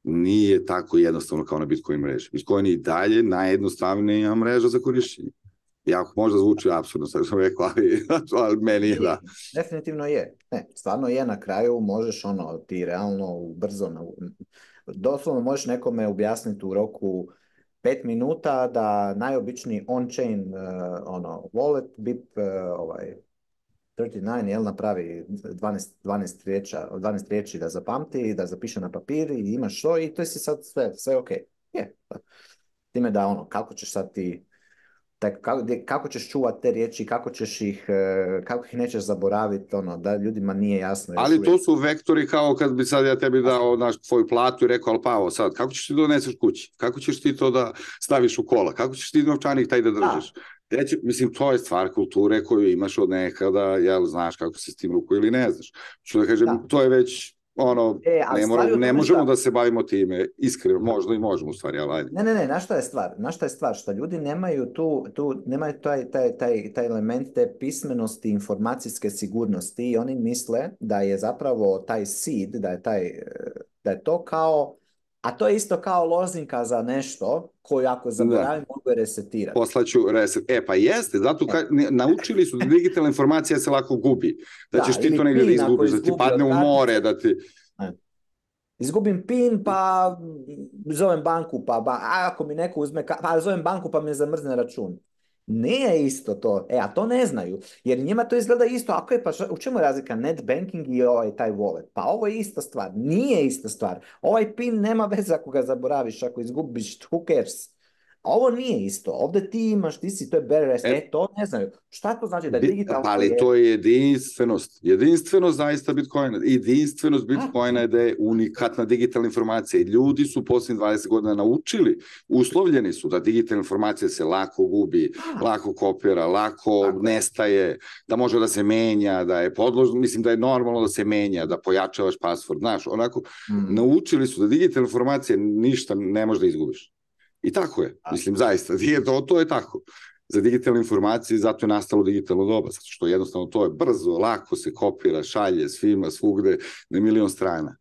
nije tako jednostavno kao na Bitcoin mreži. Bitcoin je i dalje najjednostavnija mreža za korišćenje. Jako možda zvuči apsurdno, sad sam rekao, ali, ali meni je da. Definitivno je. Ne, stvarno je, na kraju možeš ono, ti realno brzo, doslovno možeš nekome objasniti u roku pet minuta da najobičniji on-chain uh, ono, wallet, B I P uh, ovaj, trideset devet, jel, napravi dvanaest, dvanaest, riječa, dvanaest riječi da zapamti, da zapiše na papir i imaš to i to je si sad sve, sve ok. Je. Time da ono, kako ćeš sad ti, taj, kako, kako ćeš čuvati te riječi, kako ćeš ih, kako ih nećeš zaboraviti, ono, da ljudima nije jasno. Ali to su vektori kao kad bi sad ja tebi dao naš tvoju platu i rekao, ali Pavo, sad, kako ćeš ti doneseš kući? Kako ćeš ti to da staviš u kola? Kako ćeš ti novčanik taj da držiš? Da. Reći, mislim, to je stvar kulture koju imaš od nekada, jel, znaš kako se s tim ruku ili ne znaš. Što da kažem, da. To je već ono, e, ne, mora, ne možemo šta... da se bavimo time, iskreno, možda i možemo u stvari, ali ajde. Ne, ne, ne, na šta je stvar? Na šta je stvar? Što ljudi nemaju tu, tu nemaju taj, taj, taj, taj element te pismenosti, informacijske sigurnosti i oni misle da je zapravo taj seed, da je, taj, da je to kao, a to je isto kao lozinka za nešto koju ako zaboravim mogu resetirati. Poslaću reset. E, pa jeste, zato ka, ne, naučili su da digitalna informacija se lako gubi. Da, da ćeš ti to negdje da izgubiš, da ti padne u more, da ti... Ne. Izgubim pin, pa zovem banku, pa ba, a ako mi neko uzme, pa zovem banku pa me zamrzne račun. Nije isto to, e, a to ne znaju, jer njima to izgleda isto, ako je pa ša, u čemu je razlika net banking i ovaj taj wallet? Pa ovo je ista stvar, nije ista stvar, ovaj pin nema veze ako ga zaboraviš, ako izgubiš, who cares? A ovo nije isto, ovdje ti imaš, ti si, to je better rest, e, e to ne znaju. Šta to znači da je digitalno? Ali je... to je jedinstvenost, jedinstvenost zaista Bitcoina, jedinstvenost Bitcoina je da je unikatna digitalna informacija i ljudi su posljednjih dvadeset godina naučili, uslovljeni su da digitalna informacija se lako gubi, A. lako kopira, lako Tako. nestaje, da može da se menja, da je podložno, mislim da je normalno da se menja, da pojačavaš password, znaš, onako, mm. naučili su da digitalna informacija ništa ne može da izgubiš. I tako je, mislim, zaista, to, to je tako. Za digitalne informacije, zato je nastalo digitalno doba, zato što jednostavno to je brzo, lako se kopira, šalje svima, svugde, na milion strana.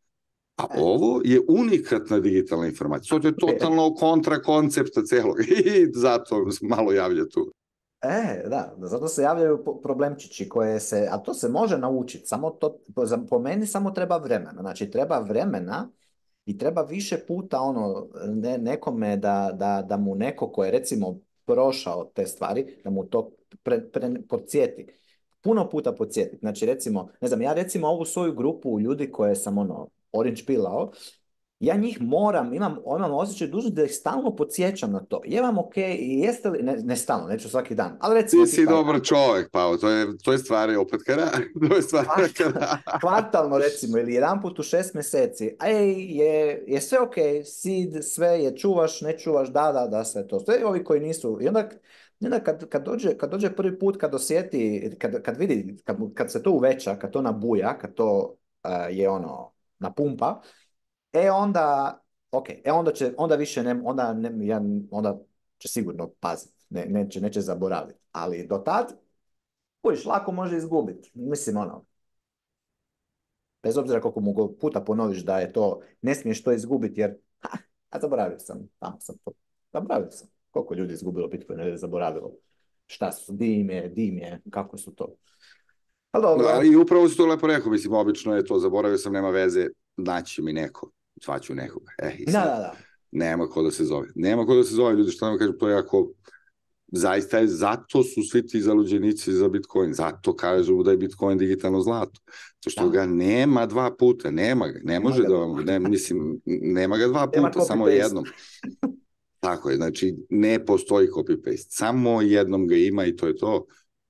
A ovo je unikatna digitalna informacija. To je totalno kontra koncepta celog i zato malo javlja tu. E, da, zato se javljaju problemčići koje se, a to se može naučiti, samo to, po meni samo treba vremena, znači treba vremena i treba više puta ono, ne, nekome da, da, da mu neko ko je recimo prošao te stvari, da mu to pre, pre, podsjeti. Puno puta podsjeti. Znači recimo, ne znam, ja recimo ovu svoju grupu ljudi koje sam ono, orange pilao, ja njih moram, imam, imam osjećaj dužno da ih stalno podsjećam na to. Je vam ok, jeste li, ne, ne stalno, neću svaki dan, ali recimo... Ti si dobar čovjek, Pao, to je, to je stvari opet kada, to je stvari kada... Kvartalno recimo, ili jedan put u šest mjeseci, ej, je, je sve ok, seed, sve je, čuvaš, ne čuvaš, da, da, da, sve to. Sve ovi koji nisu, i onda... I onda kad, kad, dođe, kad dođe prvi put, kad osjeti, kad, kad vidi, kad, kad se to uveća, kad to nabuja, kad to uh, je ono, napumpa, e onda, ok, e onda će, onda više ne, onda, ne, ja, onda će sigurno paziti, ne, neće, neće zaboraviti. Ali do tad, kojiš, lako može izgubiti. Mislim, ono, bez obzira koliko mu go puta ponoviš da je to, ne smiješ to izgubiti jer, ha, a zaboravio sam, tamo sam to, zaboravio sam. Koliko ljudi izgubilo Bitcoin, ne zaboravilo. Šta su, di im je, di im je, kako su to. Ali dobro. Ali i upravo si to lepo rekao, mislim, obično je to, zaboravio sam, nema veze, naći mi neko, svaću nekoga. E, i Da, sad, da, da. nema ko da se zove. Nema ko da se zove, ljudi, što nam kažem, to je jako, zaista je, zato su svi ti zaluđenici za Bitcoin, zato kažu da je Bitcoin digitalno zlato. To što Da. ga nema dva puta, nema ga, ne može ga da dva vam, ne, mislim, nema ga dva Nema puta, samo copy-paste. jednom. Tako je, znači, ne postoji copy-paste, samo jednom ga ima i to je to.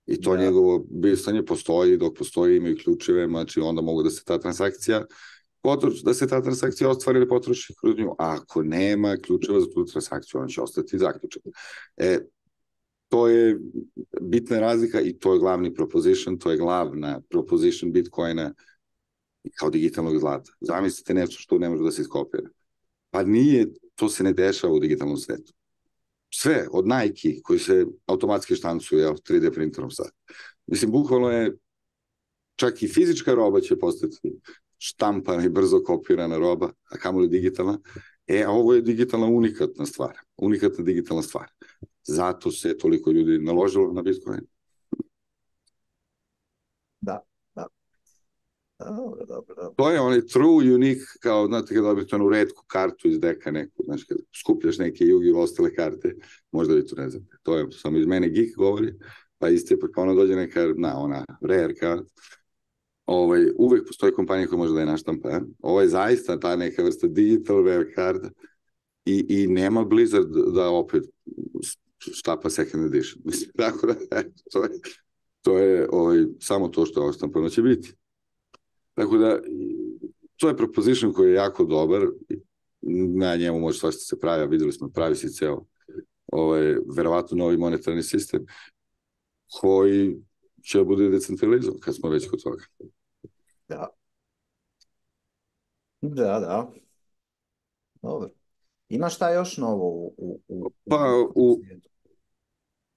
I to Da. njegovo bistanje postoji, dok postoji imaju ključeve, znači onda mogu da se ta transakcija potroši, da se ta transakcija ostvari ili potroši kroz nju. A ako nema ključeva za tu transakciju, on će ostati zaključen. E, to je bitna razlika i to je glavni proposition, to je glavna proposition Bitcoina kao digitalnog zlata. Zamislite nešto što ne može da se iskopira. Pa nije, to se ne dešava u digitalnom svetu. Sve, od Nike, koji se automatski štancuju, jel, tri D printerom sad. Mislim, bukvalno je, čak i fizička roba će postati štampana i brzo kopirana roba, a kamoli digitalna. E, a ovo je digitalna unikatna stvar. Unikatna digitalna stvar. Zato se toliko ljudi naložilo na Bitcoin. Da, da. Dobro, dobro, dobro. To je onaj true, unique, kao, znate, kada dobijete onu retku kartu iz deka neku, znaš, kada skupljaš neke jugi ili ostale karte, možda vi to ne znate. To je, samo iz mene geek govori, pa isti pa ono dođe neka, na, ona rare card. Ovaj, uvek postoji kompanija koja može da je naštampa. Ja? Ovo je zaista ta neka vrsta digital rare card i, i nema Blizzard da opet štapa second edition. Mislim, tako da, to je, to je ovaj, samo to što je oštampano će biti. Tako da, to je proposition koji je jako dobar, na njemu može svašta se pravi, a videli smo, pravi se ceo ovaj, verovatno novi monetarni sistem koji će bude decentralizovan, kad smo već kod toga. Da. Da, da. Dobro. Ima šta još novo u, u, u, Pa, u, svijetu?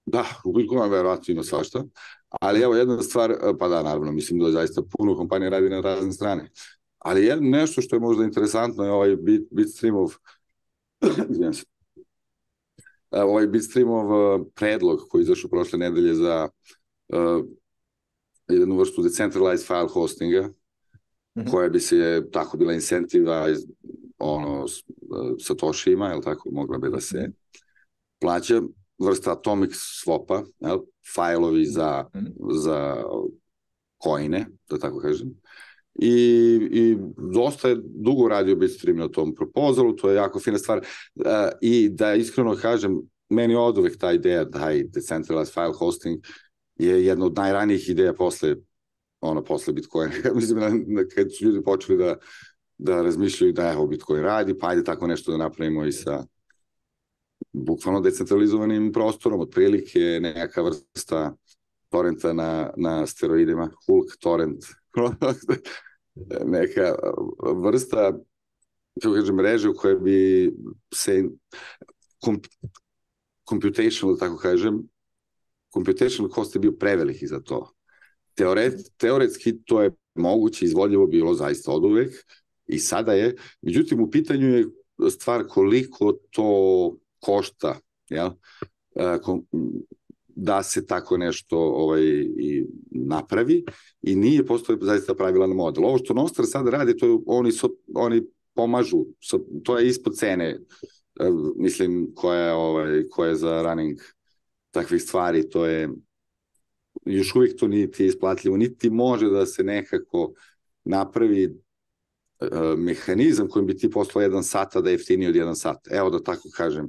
da, u Bitcoinu verovatno ima svašta, ali evo jedna stvar, pa da, naravno, mislim da zaista puno kompanija radi na razne strane, ali jedno nešto što je možda interesantno je ovaj bit, Bitstreamov ovaj Bitstreamov predlog koji je izašao prošle nedelje za uh, jednu vrstu decentralized file hostinga, mm-hmm. koja bi se tako bila incentiva ono, Satoshi-ima, je li tako, mogla bi da se plaća, vrsta atomic swap-a, jel, fajlovi za, mm-hmm. za coine, da tako kažem. I, i dosta je dugo radio Bitstream na tom proposalu, to je jako fina stvar. Uh, I da iskreno kažem, meni od uvek ta ideja, taj decentralized file hosting je jedna od najranijih ideja posle, ono, posle Bitcoina. Mislim, da, kad su ljudi počeli da, da razmišljaju da evo Bitcoin radi, pa ajde tako nešto da napravimo i sa bukvalno decentralizovanim prostorom, otprilike neka vrsta torrenta na, na steroidima, Hulk torrent, neka vrsta, kako kažem, mreže u kojoj bi se komp, computational, tako kažem, computational cost je bio preveliki za to. Teoret, teoretski to je moguće, izvodljivo bilo zaista od uvek i sada je, međutim u pitanju je stvar koliko to košta, jel? Da se tako nešto ovaj, i napravi i nije postoji zaista pravilan model. Ovo što Nostr sada radi, to je, oni, so, oni pomažu, so, to je ispod cene, mislim, koja je, ovaj, koja je za running takvih stvari, to je još uvijek to niti isplatljivo, niti može da se nekako napravi uh, mehanizam kojim bi ti poslao jedan sat, a da je jeftiniji od jedan sat. Evo da tako kažem,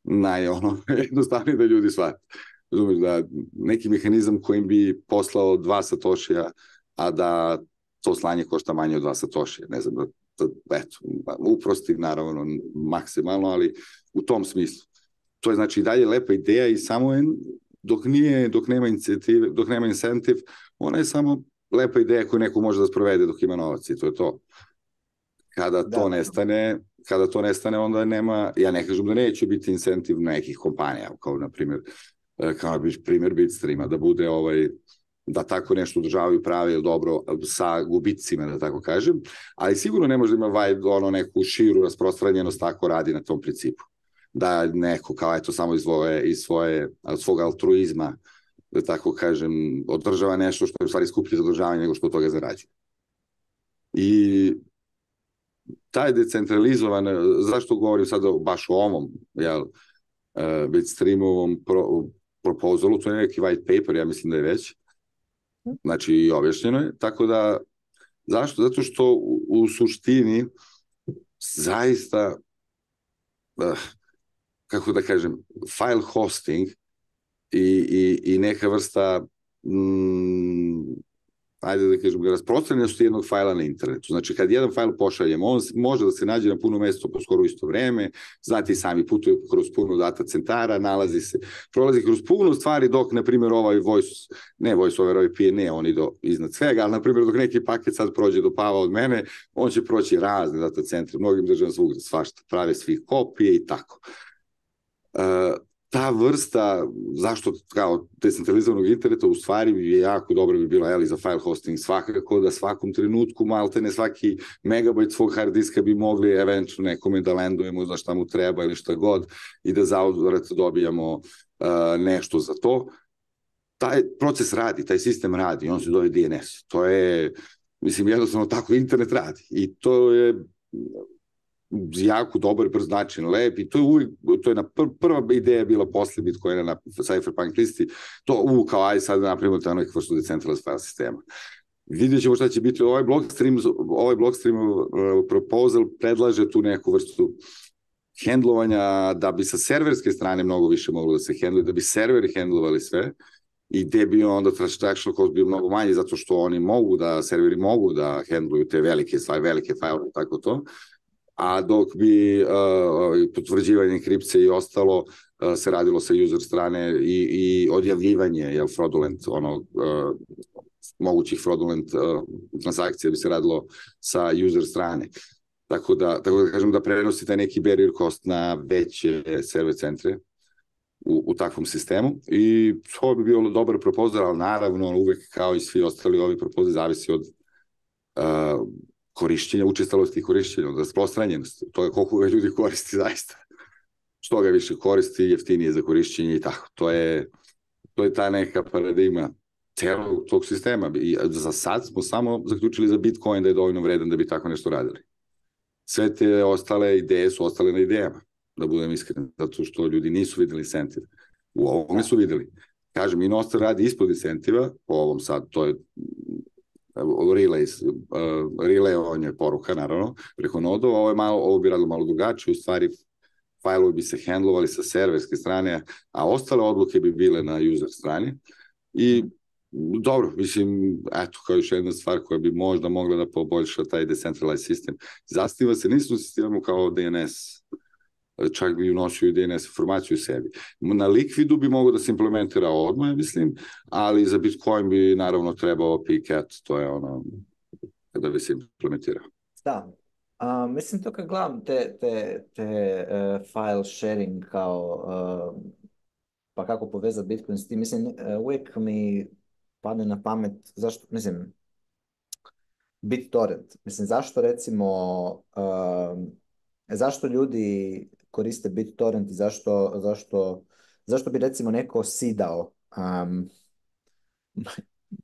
naj, ono, jednostavnije da ljudi shvate. Razumiješ, da neki mehanizam kojim bi poslao dva satošija, a da to slanje košta manje od dva satošija. Ne znam, da, da eto, uprosti naravno maksimalno, ali u tom smislu. To je znači i dalje lepa ideja i samo je, dok nije, dok nema inicijative, dok nema incentiv, ona je samo lepa ideja koju neko može da sprovede dok ima novac i to je to. Kada to da, nestane, kada to nestane, onda nema, ja ne kažem da neće biti incentiv nekih kompanija, kao na primjer, kao primjer Bitstreama, da bude ovaj, da tako nešto održavaju pravi ili dobro sa gubicima, da tako kažem, ali sigurno ne može da ima vaj, ono, neku širu rasprostranjenost tako radi na tom principu. Da neko, kao eto, samo iz svoje, iz svoje, od svog altruizma, da tako kažem, održava nešto što je u stvari skuplje za održavanje nego što od toga zarađuje. I taj decentralizovan, zašto govorim sada baš o ovom, jel, uh, Bitstreamovom pro, proposalu, to je neki white paper, ja mislim da je već, znači i objašnjeno je, tako da, zašto? Zato što u, u suštini zaista, uh, kako da kažem, file hosting i, i, i neka vrsta mm, ajde da kažem, rasprostranjenost jednog fajla na internetu. Znači, kad jedan fajl pošaljemo, on može da se nađe na puno mjesto po skoro isto vreme, znate i sami putuju kroz puno data centara, nalazi se, prolazi kroz puno stvari dok, na primjer, ovaj voice, ne voice over I P, ne, oni do iznad svega, ali, na primjer, dok neki paket sad prođe do Pava od mene, on će proći razne data centre, mnogim državama svugdje svašta, prave svih kopije i tako. Uh, ta vrsta, zašto kao decentralizovanog interneta u stvari je jako dobro bi bila, jeli, za file hosting, svakako da svakom trenutku maltene svaki megabajt svog hard diska bi mogli eventualno nekome da landujemo za šta mu treba ili šta god i da zauzvrat dobijamo uh, nešto za to. Taj proces radi, taj sistem radi, on se zove D N S. To je, mislim, jednostavno tako internet radi i to je jako dobar, brz način, lep i to je uvijek, to je na pr prva ideja bila posle Bitcoina na Cypherpunk listi, to u kao aj sad napravimo ta neka vrstu decentralized file sistema. Vidjet ćemo šta će biti ovaj Blockstream, ovaj Blockstream uh, proposal predlaže tu neku vrstu hendlovanja da bi sa serverske strane mnogo više moglo da se hendluje, da bi serveri hendlovali sve i gde bi onda transaction cost bio mnogo manji zato što oni mogu da, serveri mogu da hendluju te velike stvari, velike file, tako to. A dok bi uh, potvrđivanje enkripcije i ostalo uh, se radilo sa user strane i, i odjavljivanje, jel, fraudulent, ono, uh, mogućih fraudulent uh, transakcija bi se radilo sa user strane. Tako da, tako da kažem da prenosi taj neki barrier cost na veće server centre u, u takvom sistemu i to bi bio dobar propozor, ali naravno uvek kao i svi ostali ovi propozori zavisi od uh, korišćenja, učestalosti i korišćenja, od rasprostranjenosti, to je koliko ga ljudi koristi zaista. Što ga više koristi, jeftinije za korišćenje i tako. To je, to je ta neka paradigma celog tog sistema. I za sad smo samo zaključili za Bitcoin da je dovoljno vredan da bi tako nešto radili. Sve te ostale ideje su ostale na idejama, da budem iskren, zato što ljudi nisu videli incentiv. U ovome su videli. Kažem, i Nostr radi ispod incentiva, po ovom sad, to je relays, uh, relay poruka, naravno, preko nodova, ovo, je malo, ovo bi radilo malo drugačije, u stvari fajlovi bi se handlovali sa serverske strane, a ostale odluke bi bile na user strani i dobro, mislim, eto, kao još jedna stvar koja bi možda mogla da poboljša taj decentralized sistem. Zasniva se, nismo sistemom kao D N S, čak bi unosio i D N S informaciju u sebi. Na Liquidu bi mogo da se implementira odmah, mislim, ali za Bitcoin bi naravno trebao P C A T, to je ono kada bi se implementirao. Da, uh, mislim to kad gledam te, te, te uh, file sharing kao uh, pa kako povezati Bitcoin s tim, mislim, uh, uvijek mi padne na pamet, zašto, mislim, BitTorrent, mislim, zašto recimo uh, zašto ljudi koriste BitTorrent i zašto, zašto, zašto bi recimo neko sidao um,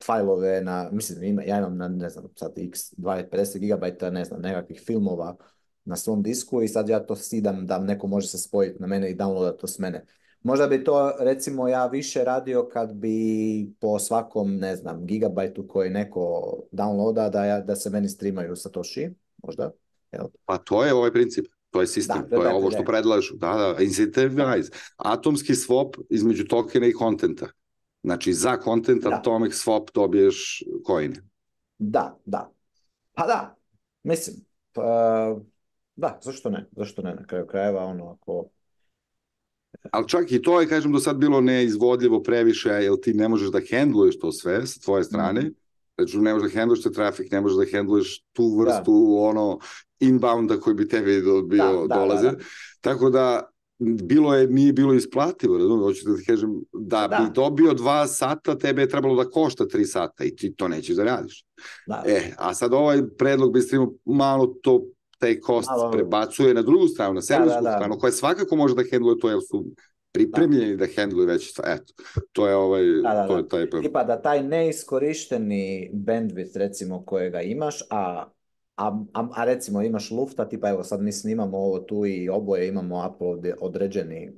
fajlove na, mislim, ima, ja imam na, ne znam, sad x dvadeset pedeset gigabajta, ne znam, nekakvih filmova na svom disku i sad ja to sidam da neko može se spojiti na mene i downloadati to s mene. Možda bi to, recimo, ja više radio kad bi po svakom, ne znam, gigabajtu koji neko downloada da, ja, da se meni streamaju Satoshi, možda. Jel? Pa to je ovaj princip. To je sistem, da, to je ovo što predlažu. Da, da, incentivize. Atomski swap između tokena i kontenta. Znači, za content atomic swap dobiješ coin. Da, da. Pa da, mislim, pa, da, zašto ne? Zašto ne? Na kraju krajeva, ono, ako... Ali čak i to je, kažem, do sad bilo neizvodljivo previše, jer ti ne možeš da handluješ to sve s tvoje strane. Mm. Znači, ne možeš da handluješ te trafik, ne možeš da handluješ tu vrstu, da. ono... inbounda koji bi tebi bio Da, da, dolaze. da, da. Tako da bilo je, nije bilo isplativo, razumiješ, hoću da ti kažem, da Da. bi dobio dva sata, tebe je trebalo da košta tri sata i ti to nećeš da radiš. Da. E, a sad ovaj predlog bi streamu malo to, taj kost Malo- prebacuje na drugu stranu, na servisku da, da. stranu, koja svakako može da hendluje to, jer su pripremljeni da, da hendluje već, eto, to je ovaj, Da, da, to da. je taj predlog. Tipa da taj neiskorišteni bandwidth recimo kojega imaš, a, a, a, a recimo imaš lufta, tipa evo sad mi snimamo ovo tu i oboje imamo upload određeni,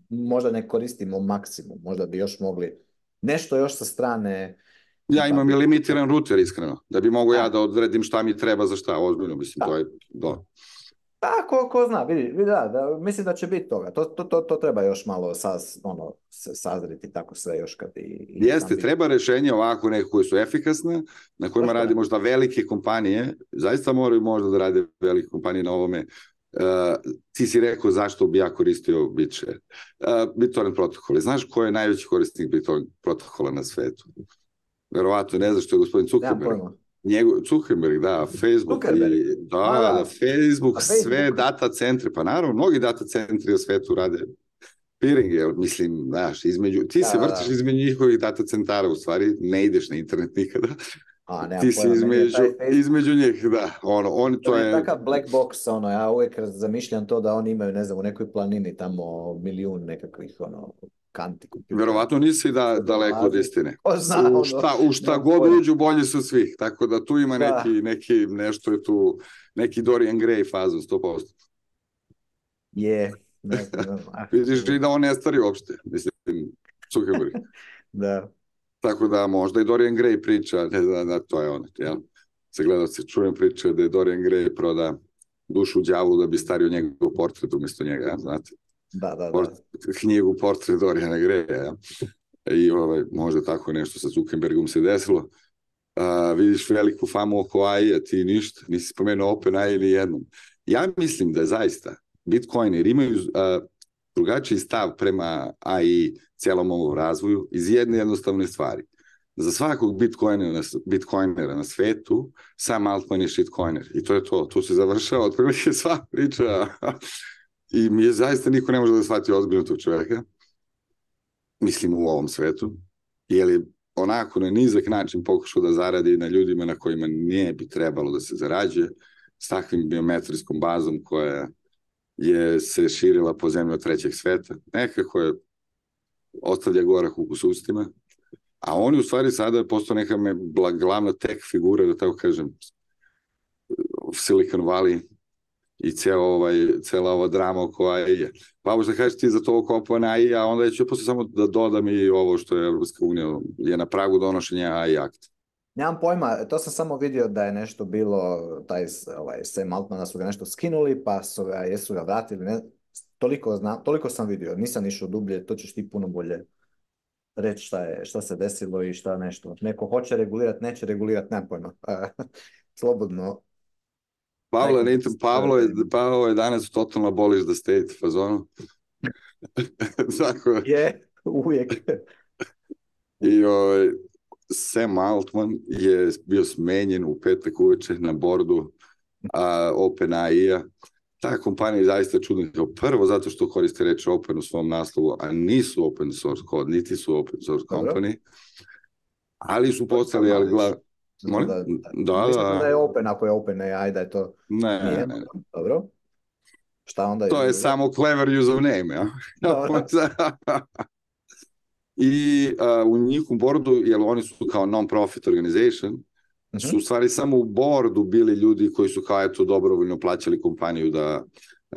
možda ne koristimo maksimum, možda bi još mogli nešto još sa strane. Ja tipa imam i bi- limitiran router, iskreno, da bi mogo Da. ja da odredim šta mi treba za šta, ozbiljno, mislim, Da. to je, da. Pa, ko, ko zna, vidi, vidi, da, da, mislim da će biti toga. To, to, to, to treba još malo saz, ono, se- sazriti tako sve još kad i... i Jeste, tam bi- treba rešenje ovako neke koje su efikasne, na kojima Tako je. radi možda velike kompanije, zaista moraju možda da rade velike kompanije na ovome. Uh, ti si rekao zašto bi ja koristio BitShare. Uh, BitTorrent protokole. Znaš ko je najveći korisnik BitTorrent protokola na svetu? Verovatno ne znaš što je gospodin Nemam Zuckerberg. pojma. Njegov, Zuckerberg, da, Facebook, Zuckerberg? i, da, A, da. da, Facebook, A Facebook? sve data centre, pa naravno, mnogi data centri u svetu rade peering, jer mislim, znaš, između, ti Da, se da, vrtiš da. između njihovih data centara, u stvari, ne ideš na internet nikada, A, nemam ti si pojma, meni je između, taj Facebook- između njih, da, ono, oni, To to je je, takav black box, ono, ja uvijek zamišljam to da oni imaju, ne znam, u nekoj planini tamo milijun nekakvih, ono, kanti. kompjutera. verovatno nisi da, daleko od istine. Ko zna, ono, U šta, u šta nemam god pojma. uđu, bolji su svih, tako da tu ima Da. neki, neki, nešto je tu, neki Dorian Gray fazon, sto posto. Je, ne znam, ah, Vidiš i da on ne stari uopšte, mislim, Zuckerberg. da. Tako da možda i Dorian Gray priča, ne znam, da, to je ono, jel? Se gleda se, čujem priče da je Dorian Gray proda dušu đavolu da bi stario njegov portret umjesto njega, ja, znate? Da, da, da. Port, knjigu Portret Doriana Graya, ja. I ovaj, možda tako nešto sa Zuckerbergom se desilo. A, vidiš veliku famu oko A I, a ti ništa, nisi spomenuo OpenAI ili jednom. Ja mislim da zaista Bitcoineri imaju a, drugačiji stav prema A I cijelom ovom razvoju iz jedne jednostavne stvari. Za svakog bitcoinera na, bitcoinera na svetu, sam Altman je shitcoiner. I to je to. Tu se završava otprilike sva priča. I mi je zaista niko ne može da shvati ozbiljno tog čoveka. Mislim u ovom svetu. Jer je onako na nizak način pokušao da zaradi na ljudima na kojima nije bi trebalo da se zarađuje, s takvim biometrijskom bazom koja je se širila po zemlji od trećeg sveta. Nekako je ostavlja gorak ukus ustima. A on je u stvari sada postao neka me glavna tech figura, da tako kažem, Silicon Valley i ceo ovaj, cela ova drama oko A I-a. Pa možda kažeš ti za to oko A I, a onda ću posle samo da dodam i ovo što je Evropska unija je na pragu donošenja A I akta. Nemam pojma, to sam samo vidio da je nešto bilo, taj ovaj, Sam Altmana su ga nešto skinuli, pa su ga, jesu ga vratili, ne, toliko, znam, toliko sam vidio, nisam išao dublje, to ćeš ti puno bolje reći šta, je, šta se desilo i šta nešto. Neko hoće regulirati, neće regulirati, nemam pojma. Slobodno. Pavle, Neko- ne, Pavlo, je, Pavlo je danas totalno abolish the state fazonu. Tako Je, uvijek. i ovaj, Sam Altman je bio smenjen u petak uveče na bordu a, OpenAI-a. Ta kompanija je zaista čudna. Kao prvo zato što koriste reč open u svom naslovu, a nisu open source kod, niti su open source Dobro. company, ali su postali, ali glav... Molim? Da, Da, da, da. da je open ako je open A I, da je to Ne, nije. ne, ne. Dobro. Šta onda? To je samo clever username, ja. Dobro. I uh, u njihovom bordu, jer oni su kao non-profit organization, Mhm. su u stvari samo u bordu bili ljudi koji su kao eto dobrovoljno plaćali kompaniju da,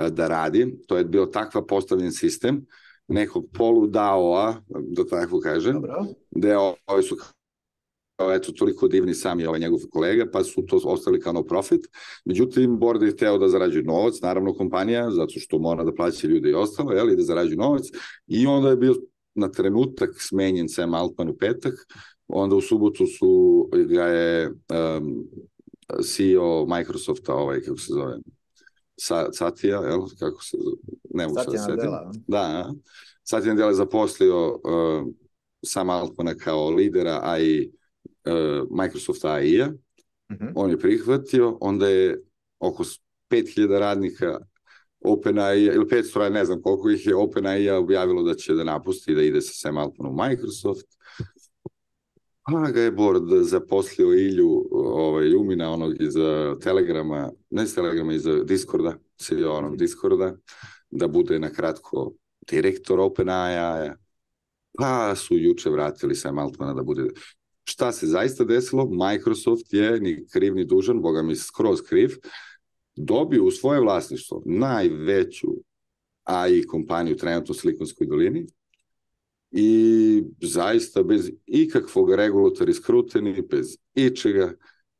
da radi. To je bio takva postavljen sistem nekog polu D A O-a, da tako kažem, Dobro. gde ovi su kao eto toliko divni sami ovaj njegov kolega, pa su to ostavili kao no profit. Međutim, board je hteo da zarađuje novac, naravno kompanija, zato što mora da plaća ljude i ostalo, jel, i da zarađuje novac. I onda je bio na trenutak smenjen Sam Altman u petak, onda u subotu su ga je um, C E O Microsofta, ovaj, kako se zove, Sa, Satya, jel, kako se zove, ne mogu Satya se setim. Nadella. Da, Satya Nadella je zaposlio uh, Sam Altmana kao lidera A I, uh, Microsoft A I-a, Mhm. on je prihvatio, onda je oko pet hiljada radnika OpenAI, ili petsto, ne znam koliko ih je, OpenAI objavilo da će da napusti, da ide sa Sam Altmanom u Microsoft. Pa ga je board zaposlio Ilju ovaj, Ljumina, onog iz Telegrama, ne iz Telegrama, iz Discorda, C E O onog Discorda, da bude na kratko direktor OpenAI-a. Pa su juče vratili Sam Altmana da bude... Šta se zaista desilo? Microsoft je ni kriv ni dužan, boga mi skroz kriv, dobio u svoje vlasništvo najveću A I kompaniju trenutno u Silikonskoj dolini i zaista bez ikakvog regulatori skruteni, bez ičega,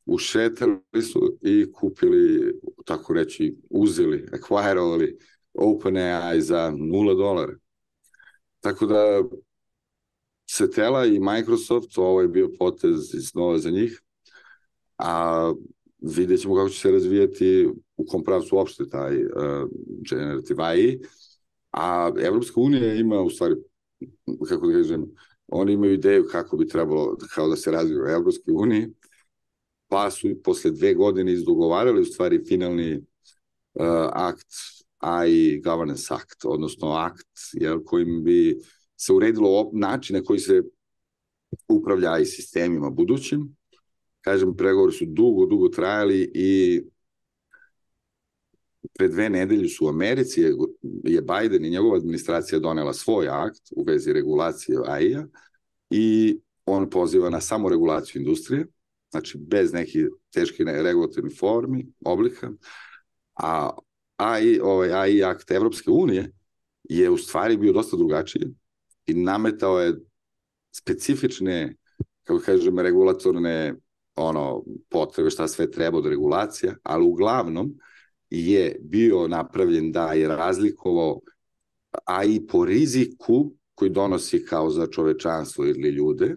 ušetali su i kupili, tako reći, uzeli, acquirovali OpenAI za nula dolara. Tako da Setela i Microsoft, ovo je bio potez iznova za njih, a vidjet ćemo kako će se razvijati u kom pravcu uopšte taj uh, generative A I, a Evropska unija ima u stvari, kako da kažem, oni imaju ideju kako bi trebalo kao da se razvije u Evropskoj uniji, pa su posle dve godine izdogovarali u stvari finalni uh, akt A I Governance Act, odnosno akt jel, kojim bi se uredilo način na koji se upravlja A I sistemima budućim. Kažem, pregovori su dugo, dugo trajali i pre dve nedelje su u Americi je Biden i njegova administracija donela svoj akt u vezi regulacije A I-a i on poziva na samoregulaciju industrije, znači bez nekih teških regulatornih formi, oblika, a A I, ovaj A I akt Evropske unije je u stvari bio dosta drugačiji i nametao je specifične, kako kažem, regulatorne ono, potrebe šta sve treba od regulacija, ali uglavnom je bio napravljen da je razlikovao A I po riziku koji donosi kao za čovečanstvo ili ljude,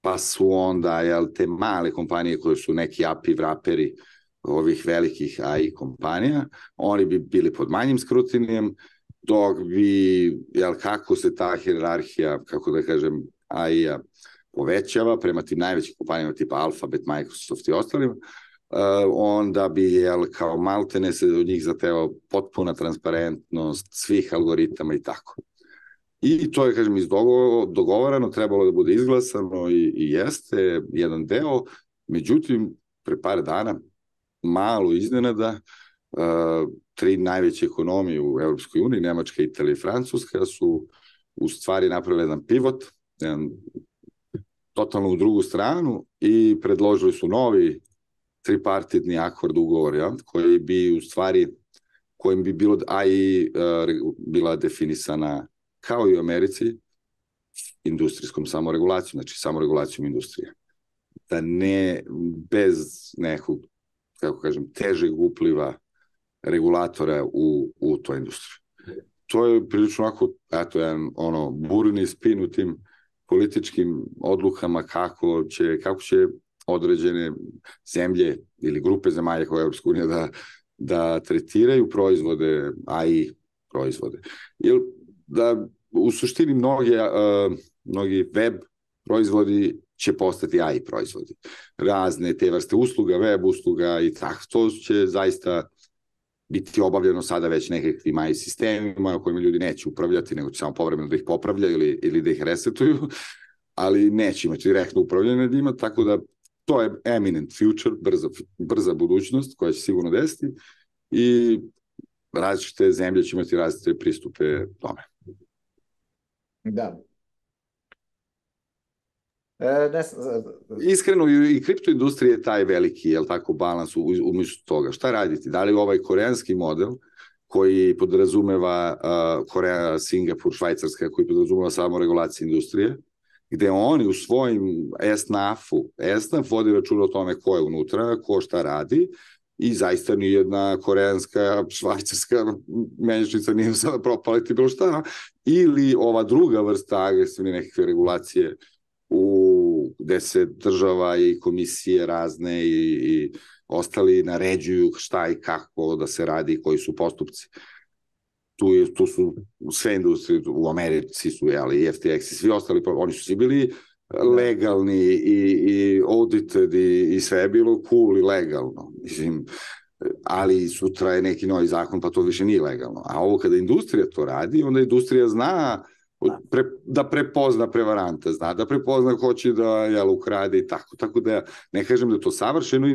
pa su onda jel, te male kompanije koje su neki A P I vraperi ovih velikih A I kompanija, oni bi bili pod manjim skrutinijem, dok bi, jel, kako se ta hijerarhija, kako da kažem, A I-a povećava prema tim najvećim kompanijama tipa Alphabet, Microsoft i ostalima, uh, onda bi, jel, kao maltene se od njih zahtevao potpuna transparentnost svih algoritama i tako. I to je, kažem, iz dogovorano, trebalo da bude izglasano i, i jeste jedan deo, međutim, pre par dana, malo iznenada, uh, tri najveće ekonomije u Evropskoj uniji, Nemačka, Italija i Francuska, su u stvari napravili jedan pivot, jedan totalno u drugu stranu i predložili su novi tripartitni akord ugovor, ja, koji bi u stvari, kojim bi bilo A I uh, bila definisana kao i u Americi industrijskom samoregulacijom, znači samoregulacijom industrije. Da ne bez nekog, kako kažem, težeg upliva regulatora u, u toj industriji. To je prilično ovako, eto, jedan ono, burni spin u tim političkim odlukama kako će, kako će određene zemlje ili grupe zemalja koje Evropska unija da, da tretiraju proizvode, A I proizvode. Jer da u suštini mnoge, uh, mnogi web proizvodi će postati A I proizvodi. Razne te vrste usluga, web usluga i tako. To će zaista biti obavljeno sada već nekakvim A I sistemima kojima ljudi neće upravljati, nego će samo povremeno da ih popravlja ili, ili da ih resetuju, ali neće imati direktno upravljanje nad njima, tako da to je eminent future, brza, brza budućnost koja će sigurno desiti i različite zemlje će imati različite pristupe tome. Da. E, ne, Iskreno, i kriptoindustrija je taj veliki, jel tako, balans umjesto toga. Šta raditi? Da li ovaj koreanski model koji podrazumeva uh, Koreja, Singapur, Švajcarska, koji podrazumeva samo regulaciju industrije, gde oni u svojim es en a ef-u, es en a ef vodi računa o tome ko je unutra, ko šta radi, i zaista nijedna koreanska, švajcarska menjačnica nije sada propaliti bilo šta, ili ova druga vrsta agresivne nekakve regulacije u, gde se država i komisije razne i, i ostali naređuju šta i kako da se radi, koji su postupci. Tu, je, tu su sve industrije, u Americi su, jeli, i F T X i svi ostali, oni su svi bili legalni i, i audited i, i sve je bilo cool i legalno. Mislim, ali sutra je neki novi zakon, pa to više nije legalno. A ovo kada industrija to radi, onda industrija zna pre, da prepozna prevaranta, zna da prepozna ko će da jel, ukrade i tako. Tako da ne kažem da je to savršeno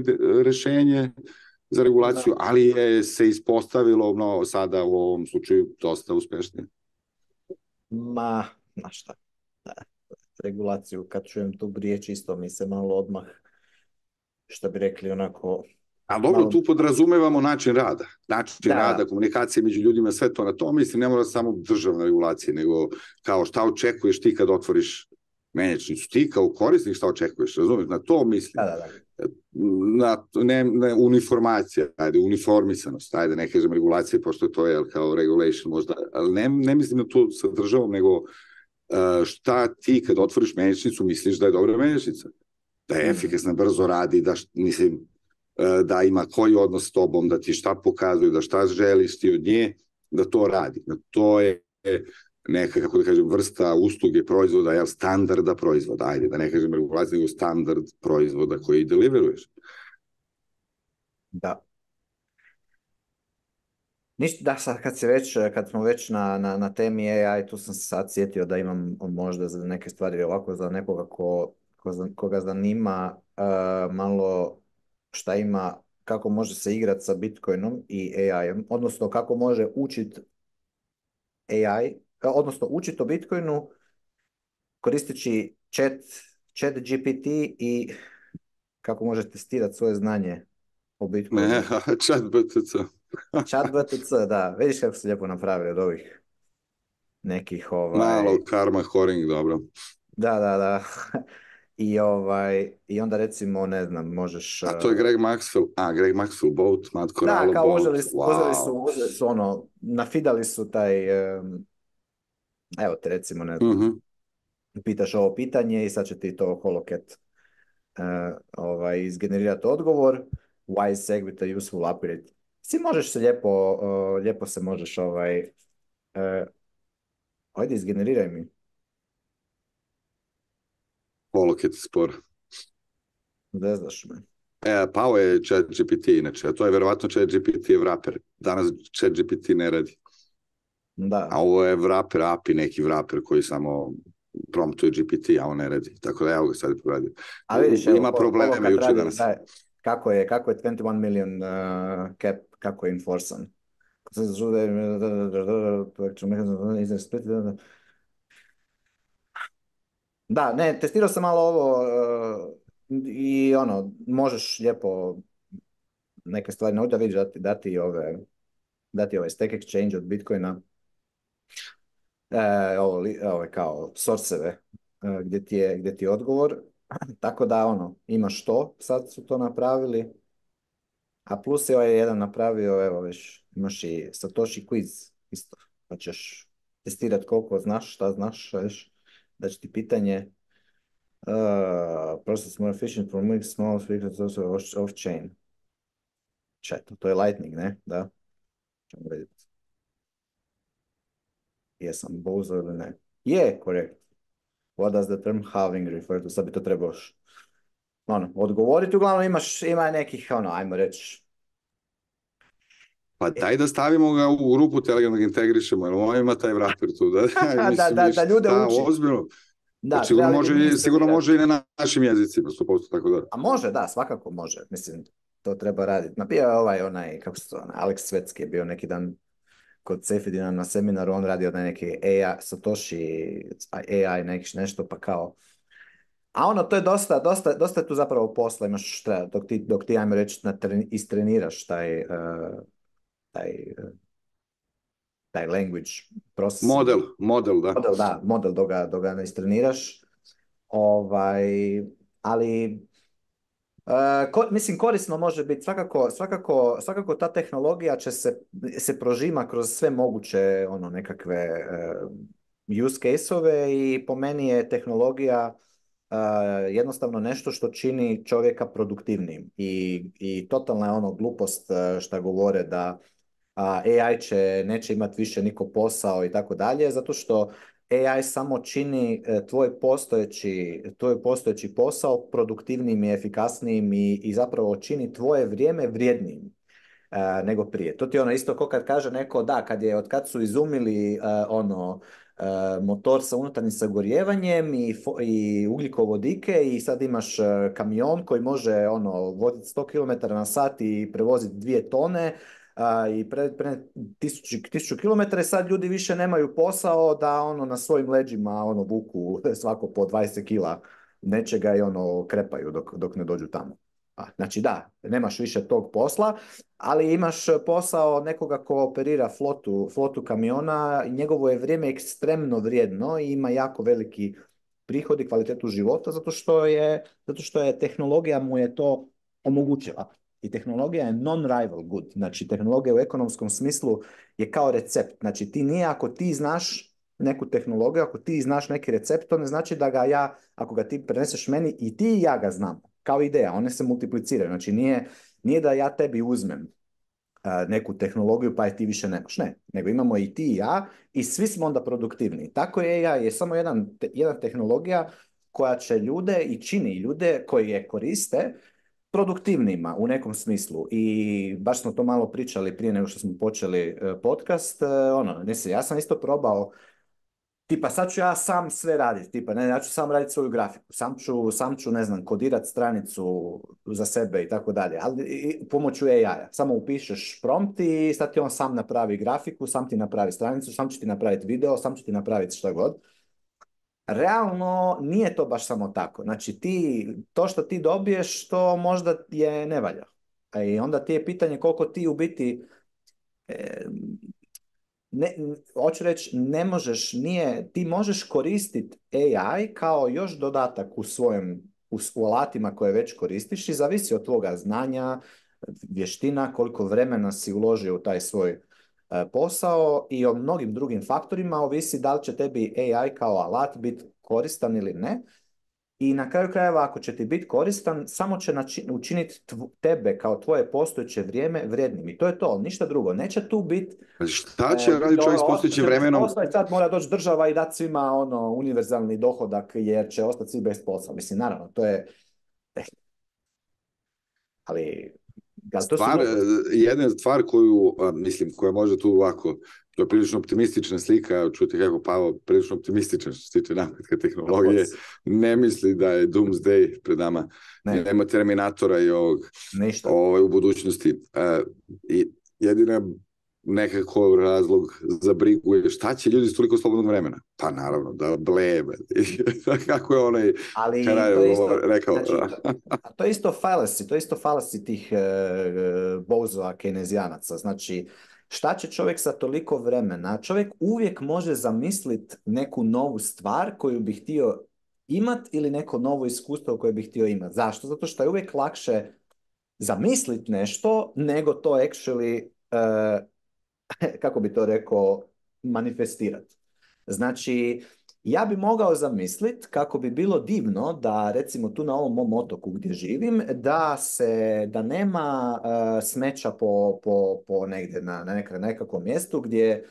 rešenje za regulaciju, ali je se ispostavilo no, sada u ovom slučaju dosta uspešnije. Ma, znaš šta, da, regulaciju, kad čujem tu riječ isto mi se malo odmah, što bi rekli onako... A dobro, malo... tu podrazumevamo način rada. Način da. rada, komunikacije među ljudima, sve to na to. Mislim, ne mora samo državna regulacija, nego kao šta očekuješ ti kad otvoriš menjačnicu. Ti kao korisnik šta očekuješ, razumiješ? Na to mislim. Da, da, da. Na, ne, ne, uniformacija, ajde, uniformisanost, ajde, ne kažem regulacije, pošto je to je kao regulation možda, ali ne, ne mislim na to sa državom, nego šta ti kad otvoriš menjačnicu misliš da je dobra menjačnica, da je efikasna, brzo radi, da, mislim, da ima koji odnos s tobom, da ti šta pokazuje, da šta želiš ti od nje, da to radi. Da to je neka, kako da kažem, vrsta usluge proizvoda, jel, standarda proizvoda, ajde, da ne kažem regulacija, nego standard proizvoda koji deliveruješ. Da. Ništa, da, sad kad, se već, kad smo već na, na, na temi A I, tu sam se sad sjetio da imam možda za neke stvari ovako za nekoga ko, ko, koga zanima uh, malo šta ima, kako može se igrati sa Bitcoinom i A I-em, odnosno kako može učiti A I, odnosno učiti o Bitcoinu koristeći chat, chat G P T i kako može testirati svoje znanje o Bitcoinu. Ne, chat B T C. Chat B T C, da. Vidiš kako se lijepo napravili od ovih nekih ovaj... Malo karma horing, dobro. Da, da, da. I, ovaj, I onda recimo, ne znam, možeš... A to je Greg Maxwell, a Greg Maxwell boat, Matt Corallo boat. Da, kao uzeli su, wow. uzeli su, uzeli su ono, nafidali su taj, um, evo te recimo, ne znam, uh-huh. pitaš ovo pitanje i sad će ti to HoloCat uh, ovaj, izgenerirati odgovor, why is Segwit a useful upgrade? Si možeš se lijepo, uh, lijepo se možeš ovaj, uh, ajde izgeneriraj mi. HoloCat spor. Ne znaš me. E, pao je ChatGPT inače, a to je verovatno ChatGPT je wrapper. Danas ChatGPT ne radi. Da. A ovo je wrapper A P I, neki wrapper koji samo promptuje G P T, a on ne radi. Tako da evo ga sad poradio. A vidiš, ima evo, probleme juče danas. Da, kako je, kako je dvadeset jedan million uh, cap, kako je enforcan? Da, ne, testirao sam malo ovo uh, i ono, možeš lijepo neke stvari naučiti, da vidiš dati, dati ove, dati ovaj stack exchange od Bitcoina, e, ovo, ovo kao sourceve uh, gdje ti je, gdje ti je odgovor, tako da ono, imaš to, sad su to napravili, a plus je ovaj jedan napravio, evo već, imaš i Satoshi quiz isto, pa ćeš testirati koliko znaš, šta znaš, veš, da će ti pitanje uh, process more efficient for moving small frequencies also off-chain. Četo, to je Lightning, ne? Da. Čemo vidjeti. Jesam bozo ili ne? Je, korekt. What does the term halving refer to? Sad bi to trebao ono, odgovoriti. Uglavnom imaš, ima nekih, ono, ajmo reći. Pa daj da stavimo ga u grupu Telegram, da ga integrišemo, jer on ima taj wrapper tu. Da, mislim, da, da, da ljude da, uči. Ozbiljno. Da, sigurno, može, sigurno može i na našim jezicima, sto posto tako da. A može, da, svakako može. Mislim, to treba raditi. Ma bio je ovaj, onaj, kako se to, onaj, Alex Svetski je bio neki dan kod Sefidina na seminaru, on radio na neki A I, Satoshi, A I, neki nešto, pa kao. A ono, to je dosta, dosta, dosta je tu zapravo posla, imaš, treba, dok ti, dok ti ajmo reći, istreniraš taj, uh, taj, uh, taj language process. Model, model, da. Model, da, model dok ga, dok ga ne istreniraš. Ovaj, ali Uh, ko, mislim, korisno može biti, svakako, svakako, svakako ta tehnologija će se, se prožima kroz sve moguće ono, nekakve uh, use case-ove i po meni je tehnologija uh, jednostavno nešto što čini čovjeka produktivnim i, i totalna je ono glupost uh, šta govore da uh, A I će, neće imati više niko posao i tako dalje, zato što A I samo čini tvoj postojeći, tvoj postojeći posao produktivnijim i efikasnijim i, i zapravo čini tvoje vrijeme vrijednijim. e, nego prije. To ti je ono isto kao kad kaže neko da, kad je, od kad su izumili e, ono e, motor sa unutarnjim sagorijevanjem i, fo- i ugljikovodike i sad imaš e, kamion koji može ono voziti sto kilometara na sat i prevoziti dvije tone a, i pre, pre tisuću, tisuću kilometara i sad ljudi više nemaju posao da ono na svojim leđima ono vuku svako po dvadeset kila nečega i ono krepaju dok, dok ne dođu tamo. A, znači da, nemaš više tog posla, ali imaš posao nekoga ko operira flotu, flotu kamiona i njegovo je vrijeme ekstremno vrijedno i ima jako veliki prihod i kvalitetu života zato što je, zato što je tehnologija mu je to omogućila. I tehnologija je non-rival good. Znači, tehnologija u ekonomskom smislu je kao recept. Znači, ti nije ako ti znaš neku tehnologiju, ako ti znaš neki recept, to ne znači da ga ja, ako ga ti preneseš meni, i ti i ja ga znam. Kao ideja, one se multipliciraju. Znači, nije, nije da ja tebi uzmem a, neku tehnologiju pa je ti više nemaš. Ne, nego imamo i ti i ja i svi smo onda produktivni. Tako je A I je samo jedan, te, jedna tehnologija koja će ljude i čini ljude koji je koriste produktivnima u nekom smislu. I baš smo to malo pričali prije nego što smo počeli e, podcast. E, ono, ne se, ja sam isto probao tipa sad ću ja sam sve raditi, tipa ne, ja ću sam raditi svoju grafiku, sam ću, sam ću ne znam, kodirati stranicu za sebe i tako dalje, ali i, pomoću A I-a. Samo upišeš prompt i sad ti on sam napravi grafiku, sam ti napravi stranicu, sam će ti napraviti video, sam će ti napraviti šta god. Realno nije to baš samo tako. Znači ti, to što ti dobiješ, to možda je ne valja. A i onda ti je pitanje koliko ti u biti e, ne, n- hoću reći, ne možeš, nije, ti možeš koristiti A I kao još dodatak u svojim, u, s- u alatima koje već koristiš i zavisi od tvoga znanja, vještina, koliko vremena si uložio u taj svoj e, posao i o mnogim drugim faktorima ovisi da li će tebi A I kao alat biti koristan ili ne. I na kraju krajeva, ako će ti biti koristan, samo će nači- učiniti tv- tebe kao tvoje postojeće vrijeme vrijednim. I to je to, ništa drugo. Neće tu biti Znači, šta će e, ljudi, raditi čovjek s ovo, ostat postojećim će bez vremenom? posla i sad mora doći država i dati svima ono univerzalni dohodak jer će ostati svi bez posla. Mislim, naravno, to je, eh, ali, ali to su Stvar, e, gluposti. jedna stvar koju, a, mislim, koja može tu ovako, to je prilično optimistična slika, čujete kako Pavo prilično optimističan što se tiče napretka Of tehnologije, course. ne misli da je doomsday pred nama, Ne, nema Terminatora i ovog ništa. ovaj, u budućnosti. E, I jedina nekako razlog za brigu je šta će ljudi s toliko slobodnog vremena? Pa naravno, da blebe. Kako je onaj Ali Karaj to je isto, rekao? znači, to, a to je isto fallacy, to je isto fallacy tih e, e, bozova keynesianaca. Znači, šta će čovjek sa toliko vremena? Čovjek uvijek može zamisliti neku novu stvar koju bi htio imat ili neko novo iskustvo koje bi htio imat. Zašto? Zato što je uvijek lakše zamisliti nešto nego to actually, e, kako bi to rekao, manifestirati. Znači, ja bi mogao zamisliti kako bi bilo divno da recimo tu na ovom mom otoku gdje živim, da se, da nema uh, smeća po, po, po negdje na, na neka- nekakvom mjestu gdje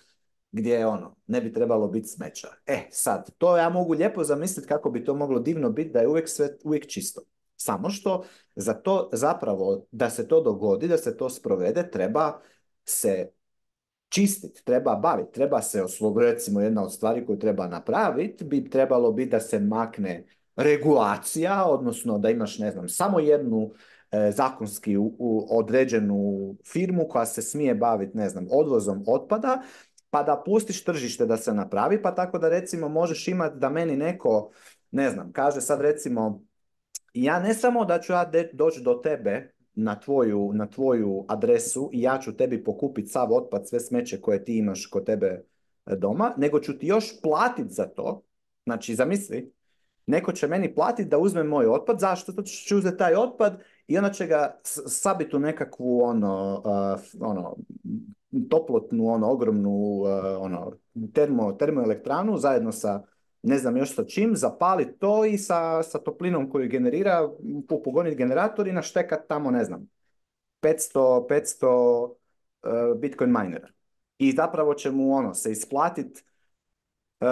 gdje ono, ne bi trebalo biti smeća. E, sad, to ja mogu lijepo zamisliti kako bi to moglo divno biti da je uvijek sve uvijek čisto. Samo što za to zapravo, da se to dogodi, da se to sprovede, treba se čistiti, treba baviti, treba se osloboditi, recimo jedna od stvari koju treba napraviti, bi trebalo biti da se makne regulacija, odnosno da imaš, ne znam, samo jednu e, zakonski u, u određenu firmu koja se smije baviti, ne znam, odvozom otpada, pa da pustiš tržište da se napravi, pa tako da recimo možeš imati da meni neko, ne znam, kaže sad recimo, ja ne samo da ću ja de- doći do tebe na tvoju, na tvoju adresu i ja ću tebi pokupiti sav otpad, sve smeće koje ti imaš kod tebe e, doma, nego ću ti još platiti za to. Znači, zamisli, neko će meni platiti da uzme moj otpad. Zašto? Zato što će uzeti taj otpad i onda će ga s- sabiti u nekakvu ono, uh, f- ono, toplotnu, ono, ogromnu uh, ono, termo, termoelektranu zajedno sa ne znam još sa čim, zapaliti to i sa, sa toplinom koju generira, pu- pogoniti generator i naštekat tamo, ne znam, petsto, petsto uh, Bitcoin minera. I zapravo će mu ono se isplatiti uh,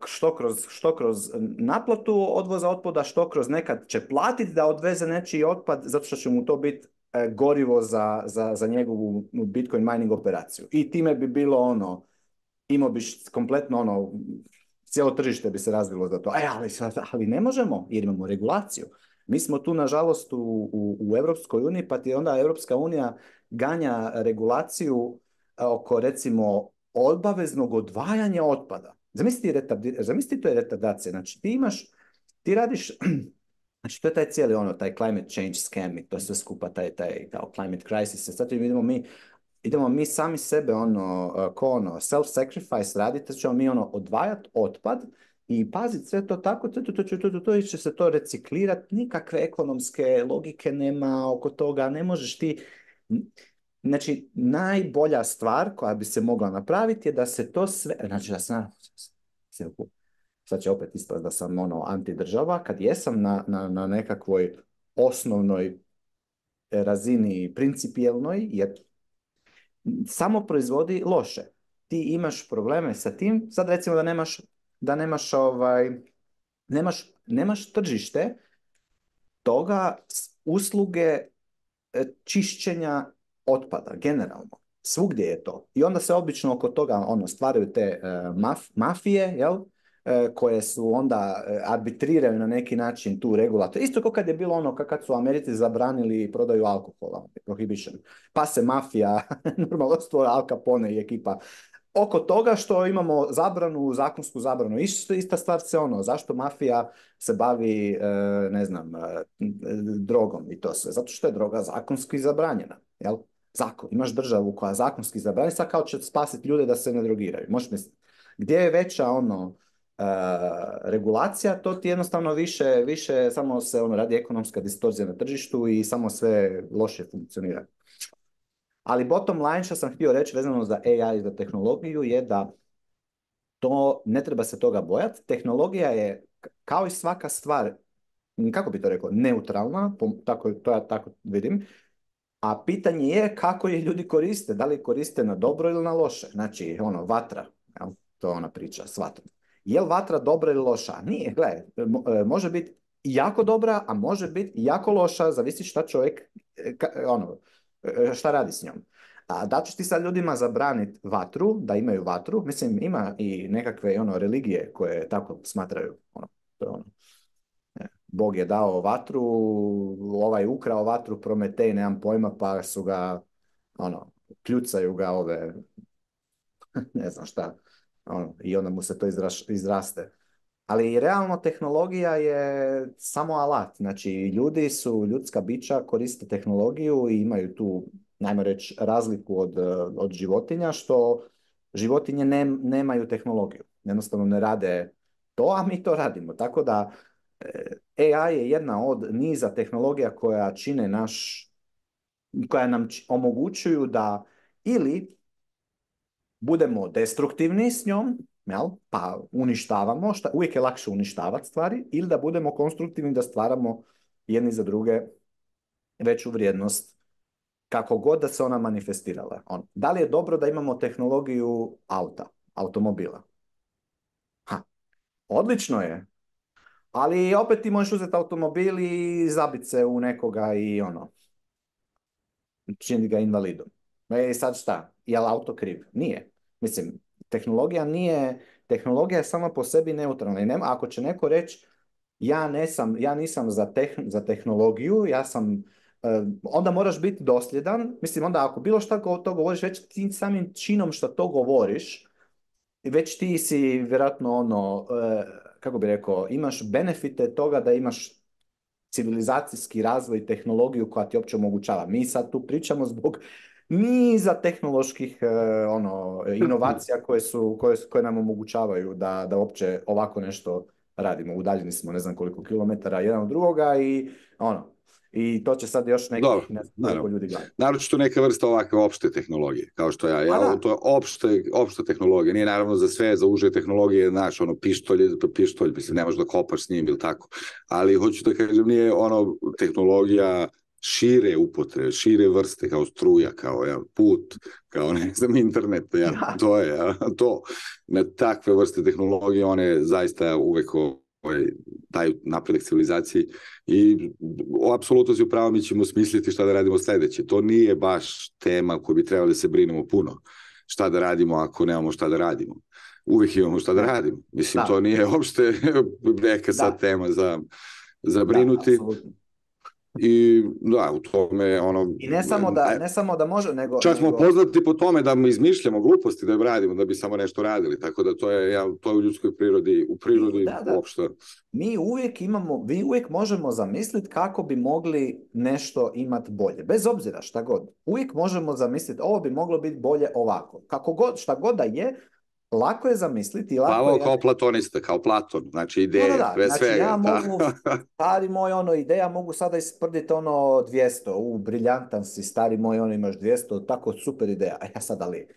što kroz, što kroz naplatu odvoza otpada, što kroz nekad će platiti da odveze nečiji otpad zato što će mu to biti e, gorivo za, za, za njegovu Bitcoin mining operaciju. I time bi bilo ono, imao bi kompletno ono, cijelo tržište bi se razvilo za to. E, ali, ali ne možemo jer imamo regulaciju. Mi smo tu, nažalost, u, u, u Europskoj uniji, pa ti onda Europska unija ganja regulaciju oko, recimo, obaveznog odvajanja otpada. Zamisli, retardi, zamisli to je retardacija. Znači, ti imaš, ti radiš, znači, to je taj cijeli ono, taj climate change scam i to sve skupa, taj, taj kao climate crisis. Sad idemo mi, idemo mi sami sebe, ono, ko ono, self-sacrifice radite, ćemo mi ono, odvajati otpad i paziti sve to tako, to, to, to, to, to, to, će se to reciklirati, nikakve ekonomske logike nema oko toga, ne možeš ti... Znači, najbolja stvar koja bi se mogla napraviti je da se to sve... Znači, da se... Sad će opet ispast da sam ono antidržava, kad jesam na, na, na nekakvoj osnovnoj razini principijelnoj, jer samo proizvodi loše. Ti imaš probleme sa tim, sad recimo da nemaš, da nemaš, ovaj, nemaš, nemaš tržište toga usluge čišćenja otpada, generalno. Svugdje je to. I onda se obično oko toga ono, stvaraju te uh, maf, mafije, jel? Uh, koje su onda uh, arbitriraju na neki način tu regulator. Isto kao kad je bilo ono kad su u Americi zabranili prodaju alkohola, prohibition. Pa se mafija, normalno stvora Al Capone i ekipa. Oko toga što imamo zabranu, zakonsku zabranu. Isto, ista stvar se ono, zašto mafija se bavi, uh, ne znam, uh, drogom i to sve. Zato što je droga zakonski zabranjena, jel? Zakon. Imaš državu koja zakonski zabranjena, sad kao će spasiti ljude da se ne drogiraju. Možeš misliti. Gdje je veća ono, uh, regulacija, to ti jednostavno više, više samo se ono, radi ekonomska distorzija na tržištu i samo sve loše funkcionira. Ali bottom line što sam htio reći vezano za A I i za tehnologiju je da to ne treba se toga bojati. Tehnologija je, kao i svaka stvar, kako bi to rekao, neutralna, tako, to ja tako vidim. A pitanje je kako je ljudi koriste, da li koriste na dobro ili na loše. Znači, ono, vatra, jel? To je ona priča s vatrom. Je li vatra dobra ili loša? Nije, gledaj, može biti jako dobra, a može biti jako loša, zavisi šta čovjek, ono, šta radi s njom. A da ćeš ti sad ljudima zabraniti vatru, da imaju vatru, mislim, ima i nekakve ono, religije koje tako smatraju, ono, to je ono. Bog je dao vatru, ovaj ukrao vatru, Prometej, nemam pojma, pa su ga, ono, kljucaju ga ove, ne znam šta, ono, i onda mu se to izraš, izraste. Ali realno tehnologija je samo alat, znači ljudi su, ljudska bića koriste tehnologiju i imaju tu, najmo reći, razliku od, od životinja, što životinje ne, nemaju tehnologiju, jednostavno ne rade to, a mi to radimo, tako da A I je jedna od niza tehnologija koja čine naš, koja nam omogućuju da ili budemo destruktivni s njom, jel? Pa uništavamo, šta, uvijek je lakše uništavati stvari, ili da budemo konstruktivni da stvaramo jedni za druge veću vrijednost, kako god da se ona manifestirala. On, da li je dobro da imamo tehnologiju auta, automobila? Ha, odlično je. Ali opet ti možeš uzeti automobil i zabiti se u nekoga i ono, čini ga invalidom. E sad šta? Je li auto kriv? Nije. Mislim, tehnologija nije, tehnologija je sama po sebi neutralna. I nema, ako će neko reći, ja, ne sam, ja nisam za, teh, za tehnologiju, ja sam, uh, onda moraš biti dosljedan. Mislim, onda ako bilo šta to govoriš, već ti samim činom što to govoriš, već ti si vjerojatno ono, uh, kako bi rekao, imaš benefite toga da imaš civilizacijski razvoj i tehnologiju koja ti uopće omogućava. Mi sad tu pričamo zbog niza tehnoloških uh, ono, inovacija koje, su, koje, koje nam omogućavaju da, da uopće ovako nešto radimo. Udaljeni smo ne znam koliko kilometara jedan od drugoga i ono, i to će sad još nekih Dobro, ne znam koliko ljudi gledati. Naročito neka vrsta ovakve opšte tehnologije, kao što ja. ja to je opšte, opšta tehnologija. Nije naravno za sve, za uže tehnologije, znaš, ono, pištolj, pištolj, mislim, ne možeš da kopaš s njim ili tako. Ali hoću da kažem, nije ono tehnologija šire upotrebe, šire vrste, kao struja, kao ja, put, kao ne znam, internet, ja, ja. To je, ja, to. Na takve vrste tehnologije, one zaista uvek ovaj, daju napredak civilizaciji i apsolutno si upravo, mi ćemo smisliti šta da radimo sledeće. To nije baš tema koju bi trebali da se brinemo puno. Šta da radimo ako nemamo šta da radimo. Uvijek imamo šta da radimo. Mislim, da. To nije uopšte neka sad da. tema za, za brinuti. Da, i da, u tome ono... I ne samo da, ne samo da može, nego... Čak smo nego... poznati po tome da izmišljamo gluposti da radimo, da bi samo nešto radili, tako da to je, ja, to je u ljudskoj prirodi, u prirodi da, da. uopšte. Mi uvijek imamo, vi uvijek možemo zamisliti kako bi mogli nešto imati bolje, bez obzira šta god. Uvijek možemo zamisliti, ovo bi moglo biti bolje ovako. Kako god, šta god da je, lako je zamisliti. Lako Pavao je... kao platonista, kao Platon, znači ideje, no, da, da. pre znači, svega. Ja mogu, stari moj, ono, ideja, mogu sada isprditi ono dvjesto, u, briljantan si, stari moj, ono, imaš dvjesto, tako super ideja. A ja sad, ali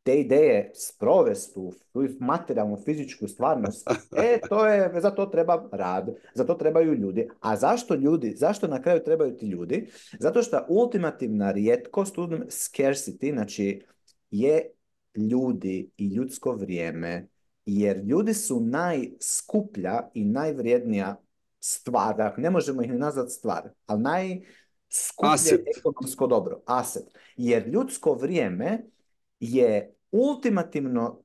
te ideje sprovesti u materijalnu, fizičku stvarnost, e, to je, za to treba rad, za to trebaju ljudi. A zašto ljudi, zašto na kraju trebaju ti ljudi? Zato što ultimativna rijetkost, scarcity, znači, je ljudi i ljudsko vrijeme, jer ljudi su najskuplja i najvrijednija stvar, ne možemo ih ni nazvati stvar, ali najskuplje Aset. ekonomsko dobro, aset, jer ljudsko vrijeme je ultimativno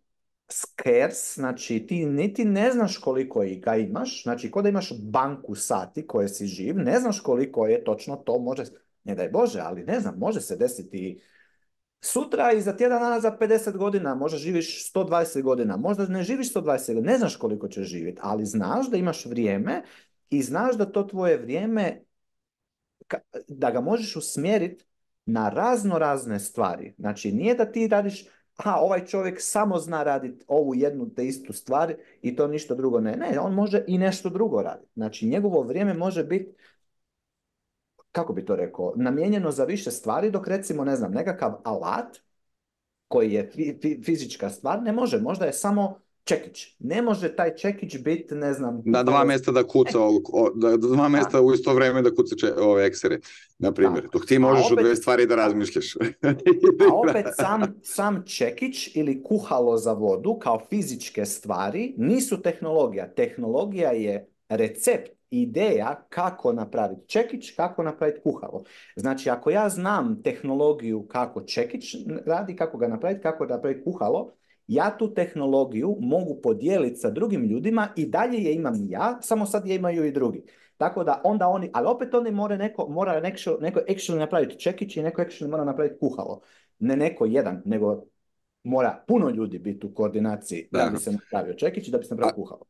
scarce, znači ti niti ne znaš koliko ga imaš, znači kod da imaš banku sati koje si živ, ne znaš koliko je točno to, može, ne daj Bože, ali ne znam, može se desiti sutra i za tjedan dana za pedeset godina, možda živiš sto dvadeset godina, možda ne živiš sto dvadeset godina, ne znaš koliko ćeš živjeti, ali znaš da imaš vrijeme i znaš da to tvoje vrijeme, da ga možeš usmjeriti na razno razne stvari. Znači nije da ti radiš, aha, ovaj čovjek samo zna raditi ovu jednu te istu stvar i to ništa drugo ne. Ne, on može i nešto drugo raditi. Znači njegovo vrijeme može biti, kako bi to rekao, namijenjeno za više stvari, dok recimo, ne znam, nekakav alat koji je fi, fizička stvar, ne može, možda je samo čekić. Ne može taj čekić biti, ne znam... Na dva mjesta da kuca, o, da, dva mjesta u isto vrijeme da kuca če, ove eksere, na primjer. Dok ti možeš opet, o dve stvari da razmišljaš. A opet sam, sam čekić ili kuhalo za vodu kao fizičke stvari nisu tehnologija. Tehnologija je recept, ideja kako napraviti čekić, kako napraviti kuhalo. Znači, ako ja znam tehnologiju kako čekić radi, kako ga napraviti, kako napraviti kuhalo, ja tu tehnologiju mogu podijeliti sa drugim ljudima i dalje je imam ja, samo sad je imaju i drugi. Tako da onda oni, ali opet oni mora neko, mora neko, neko actually napraviti čekić i neko actually mora napraviti kuhalo. Ne neko jedan, nego mora puno ljudi biti u koordinaciji da, da bi se napravio čekić i da bi se napravio kuhalo.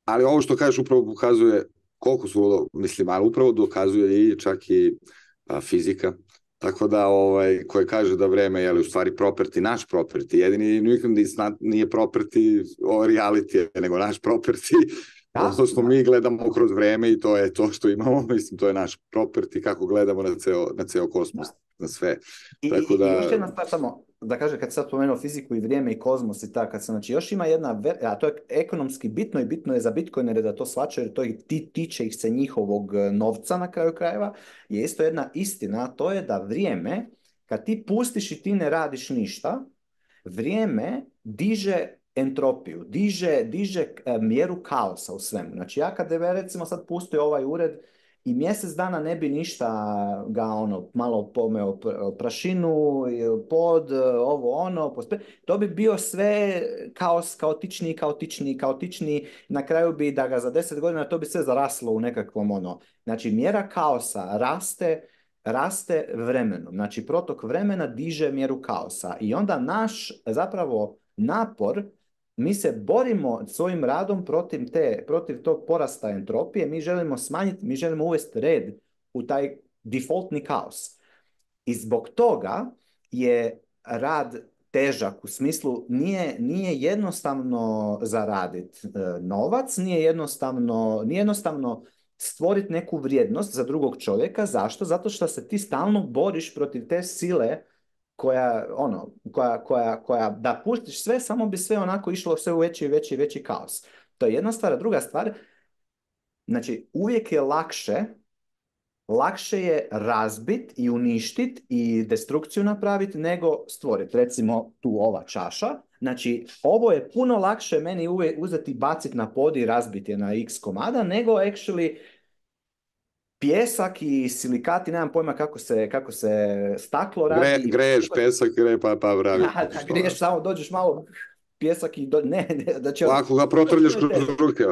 Ali ovo što kažeš upravo pokazuje koliko su, mislim, ali upravo dokazuje i čak i a, fizika. Tako da, ovaj, koje kaže da vreme je u stvari property, naš property, jedini nikom nije property o reality, nego naš property, to što mi gledamo kroz vreme i to je to što imamo, mislim, to je naš property, kako gledamo na ceo, na ceo kosmos, da. Na sve. I, tako da... i još jedna stvar samo, da kažem, kad sad pomenuo fiziku i vrijeme i kozmos i tako, znači još ima jedna, a to je ekonomski bitno i bitno je za bitcoinere da to shvaćaju, jer to ih ti, tiče ih se njihovog novca na kraju krajeva, je isto jedna istina, a to je da vrijeme, kad ti pustiš i ti ne radiš ništa, vrijeme diže entropiju, diže, diže mjeru kaosa u svemu. Znači ja kad je recimo sad pustio ovaj ured i mjesec dana ne bi ništa ga ono malo pomeo prašinu, pod, ovo ono, pospe, to bi bio sve kaos, kaotičniji, kaotičniji, kaotičniji, na kraju bi da ga za deset godina to bi sve zaraslo u nekakvom ono. Znači mjera kaosa raste, raste vremenom, znači protok vremena diže mjeru kaosa i onda naš zapravo napor, mi se borimo svojim radom protiv, te, protiv tog porasta entropije, mi želimo smanjiti, mi želimo uvesti red u taj defaultni kaos. I zbog toga je rad težak, u smislu nije, nije jednostavno zaraditi e, novac, nije jednostavno, nije jednostavno stvoriti neku vrijednost za drugog čovjeka. Zašto? Zato što se ti stalno boriš protiv te sile koja, ono, koja, koja, koja, da pustiš sve, samo bi sve onako išlo sve u veći i veći i veći kaos. To je jedna stvar. Druga stvar, znači uvijek je lakše, lakše je razbit i uništit i destrukciju napraviti nego stvoriti. Recimo tu ova čaša, Znači, ovo je puno lakše meni uve, uzeti, baciti na pod i razbiti je na x komada, nego actually pjesak i silikati, nemam pojma kako se, kako se staklo Gre, radi. greješ pesak, gre, pa, pa pravi Da, da, što. griješ, samo dođeš malo pjesak i do, ne, ne, da će... Ako ga protrljaš kroz ruke.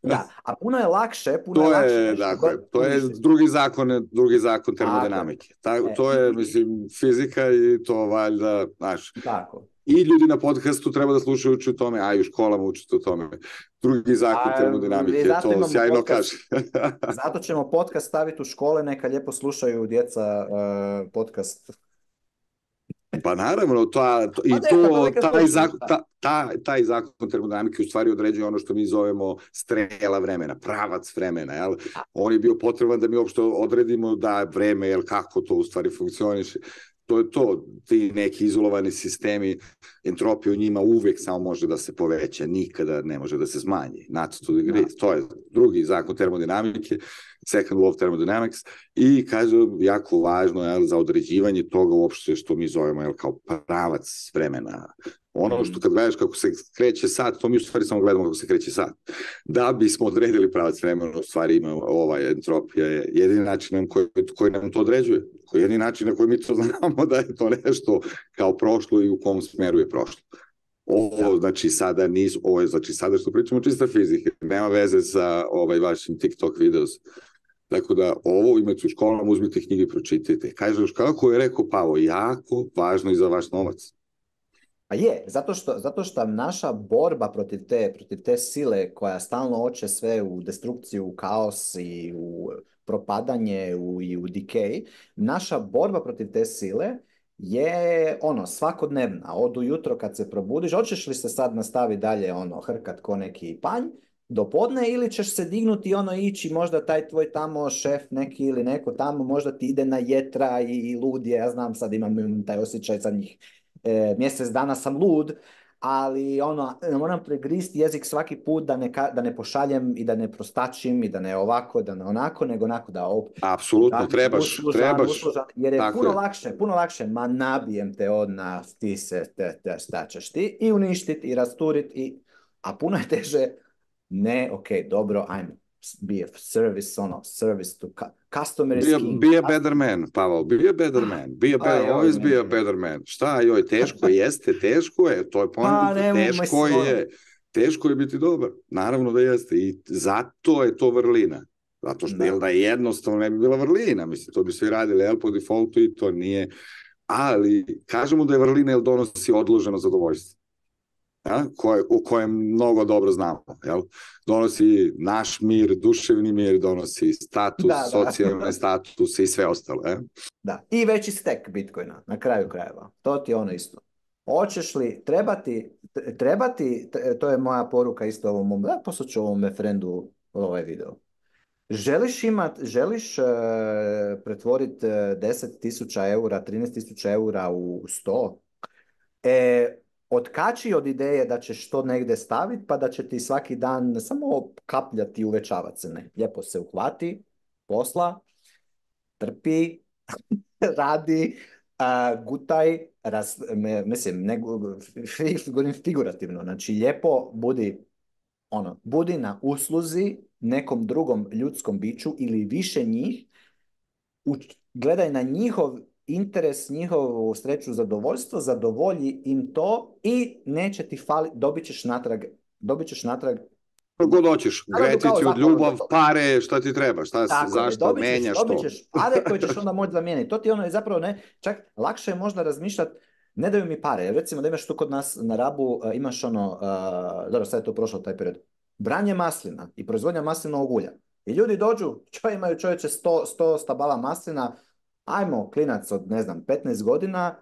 Da, a puno je lakše, puno je To lakše je, nešto dakle, to je uništiti. drugi zakon, drugi zakon Tako je. termodinamike. Ta, E, to je, i- mislim, fizika i to valjda, znaš, Tako. i ljudi na podcastu treba da slušaju uči o tome, a i u školama učite o tome. Drugi zakon A, i termodinamike, zato to imamo sjajno podcast, kaže. zato ćemo podcast staviti u škole, neka lijepo slušaju djeca uh, podcast. Pa naravno, ta, to, Pa i neka, to to, neka taj, slušaju, zakon, šta? ta, ta, taj zakon termodinamike u stvari određuje ono što mi zovemo strela vremena, pravac vremena. Jel? On je bio potreban da mi uopšte odredimo da vreme, jel, kako to u stvari funkcioniše. To je to, ti neki izolovani sistemi, entropija u njima uvek samo može da se poveća, nikada ne može da se smanji. Not to degree. Da. To je drugi zakon termodinamike, second law of thermodynamics, i kaže, jako važno je za određivanje toga uopšte što mi zovemo jel, kao pravac vremena. Ono što kad gledaš kako se kreće sat, to mi u stvari samo gledamo kako se kreće sat. Da bismo odredili pravac vremena, u stvari ima ovaj entropija je jedini način koji, koji nam to određuje. Koji je jedini način na koji mi to znamo da je to nešto kao prošlo i u kom smeru je prošlo. Ovo, da. znači, sada nisu, ovo je, znači, sada što pričamo čista fizika, nema veze sa ovaj vašim TikTok videos. Tako da, ovo imate u školama, uzmite knjige i pročitajte. Kaže, kako je rekao Pavo, jako važno i za vaš novac. Pa je, zato što, zato što naša borba protiv te, protiv te sile koja stalno hoće sve u destrukciju, u kaos i u propadanje u, i u decay, naša borba protiv te sile je ono svakodnevna. Od ujutro kad se probudiš, hoćeš li se sad nastaviti dalje ono hrkat ko neki panj do podne ili ćeš se dignuti i ono ići, možda taj tvoj tamo šef neki ili neko tamo možda ti ide na jetra i, i lud je, ja znam sad imam taj osjećaj zadnjih e, mjesec dana sam lud, ali ono, moram pregristi jezik svaki put da ne, da ne pošaljem i da ne prostačim i da ne ovako, da ne onako, nego onako da op, apsolutno, da, trebaš, uslužan, trebaš. Uslužan, jer je Tako puno je. lakše, puno lakše, ma nabijem te odna, ti se, te, te, šta ćeš ti, i uništiti, i rasturit, i, a puno je teže, ne, ok, dobro, ajmo, be a service, ono, service to customer is Be a, king. be a better man, Pavel, be a better man, be a better, Aj, always oj, be a ne. better man. Šta, joj, teško jeste, teško je, to je Pa, poenta, ne, teško mislim, je, teško je biti dobar, naravno da jeste, i zato je to vrlina, zato što, Da. jel da je jednostavno ne bi bila vrlina, mislim, to bi svi radili, jel, po defaultu i to nije, ali kažemo da je vrlina jer donosi odloženo zadovoljstvo. Ja, koje, u kojem mnogo dobro znamo. Jel? Donosi naš mir, duševni mir, donosi status, Da, da. socijalne statuse i sve ostalo. Je? Da, i veći stek Bitcoina, na kraju krajeva. To ti je ono isto. Hoćeš li trebati, trebati, to je moja poruka isto ovom mom, da, poslat ću ovom frendu ovaj video. Želiš imat, želiš uh, pretvoriti deset tisuća eura, trinaest tisuća eura u sto? E, otkači od ideje da ćeš to negdje staviti, pa da će ti svaki dan samo kapljati i uvećavati se. Ne, lijepo se uhvati, posla, trpi, radi, uh, gutaj, raz, me, mislim, ne, govorim figurativno, znači lijepo budi, ono, budi na usluzi nekom drugom ljudskom biću ili više njih, u, gledaj na njihov interes, njihovu sreću, zadovoljstvo, zadovolji im to i neće ti fali, dobit ćeš natrag, dobit ćeš natrag God hoćeš, gratitude, ljubav, pare, šta ti treba, šta, tako zašto, je, menjaš dobit to. ćeš pare koje ćeš onda moći zamijeniti. To ti ono je zapravo ne, čak lakše je možda razmišljati, ne daju mi pare. Recimo da imaš tu kod nas na Rabu, uh, imaš ono, uh, dobro sad je to prošlo taj period, branje maslina i proizvodnja maslinovog ulja. I ljudi dođu, čo imaju čovječe sto, sto stabala maslina, ajmo klinac od ne znam petnaest godina,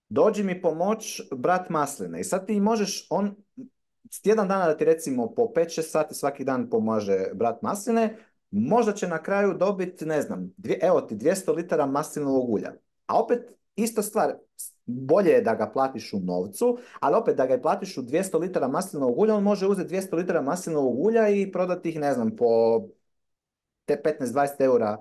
dođi mi pomoć brat masline. I sad ti možeš, on tjedan dana da ti recimo po pet šest sati svaki dan pomaže brat masline, možda će na kraju dobiti, ne znam, dvije, evo ti dvjesto litara maslinovog ulja. A opet, ista stvar, bolje je da ga platiš u novcu, ali opet da ga platiš u dvjesto litara maslinovog ulja, on može uzeti dvjesto litara maslinovog ulja i prodati ih, ne znam, po te petnaest dvadeset eura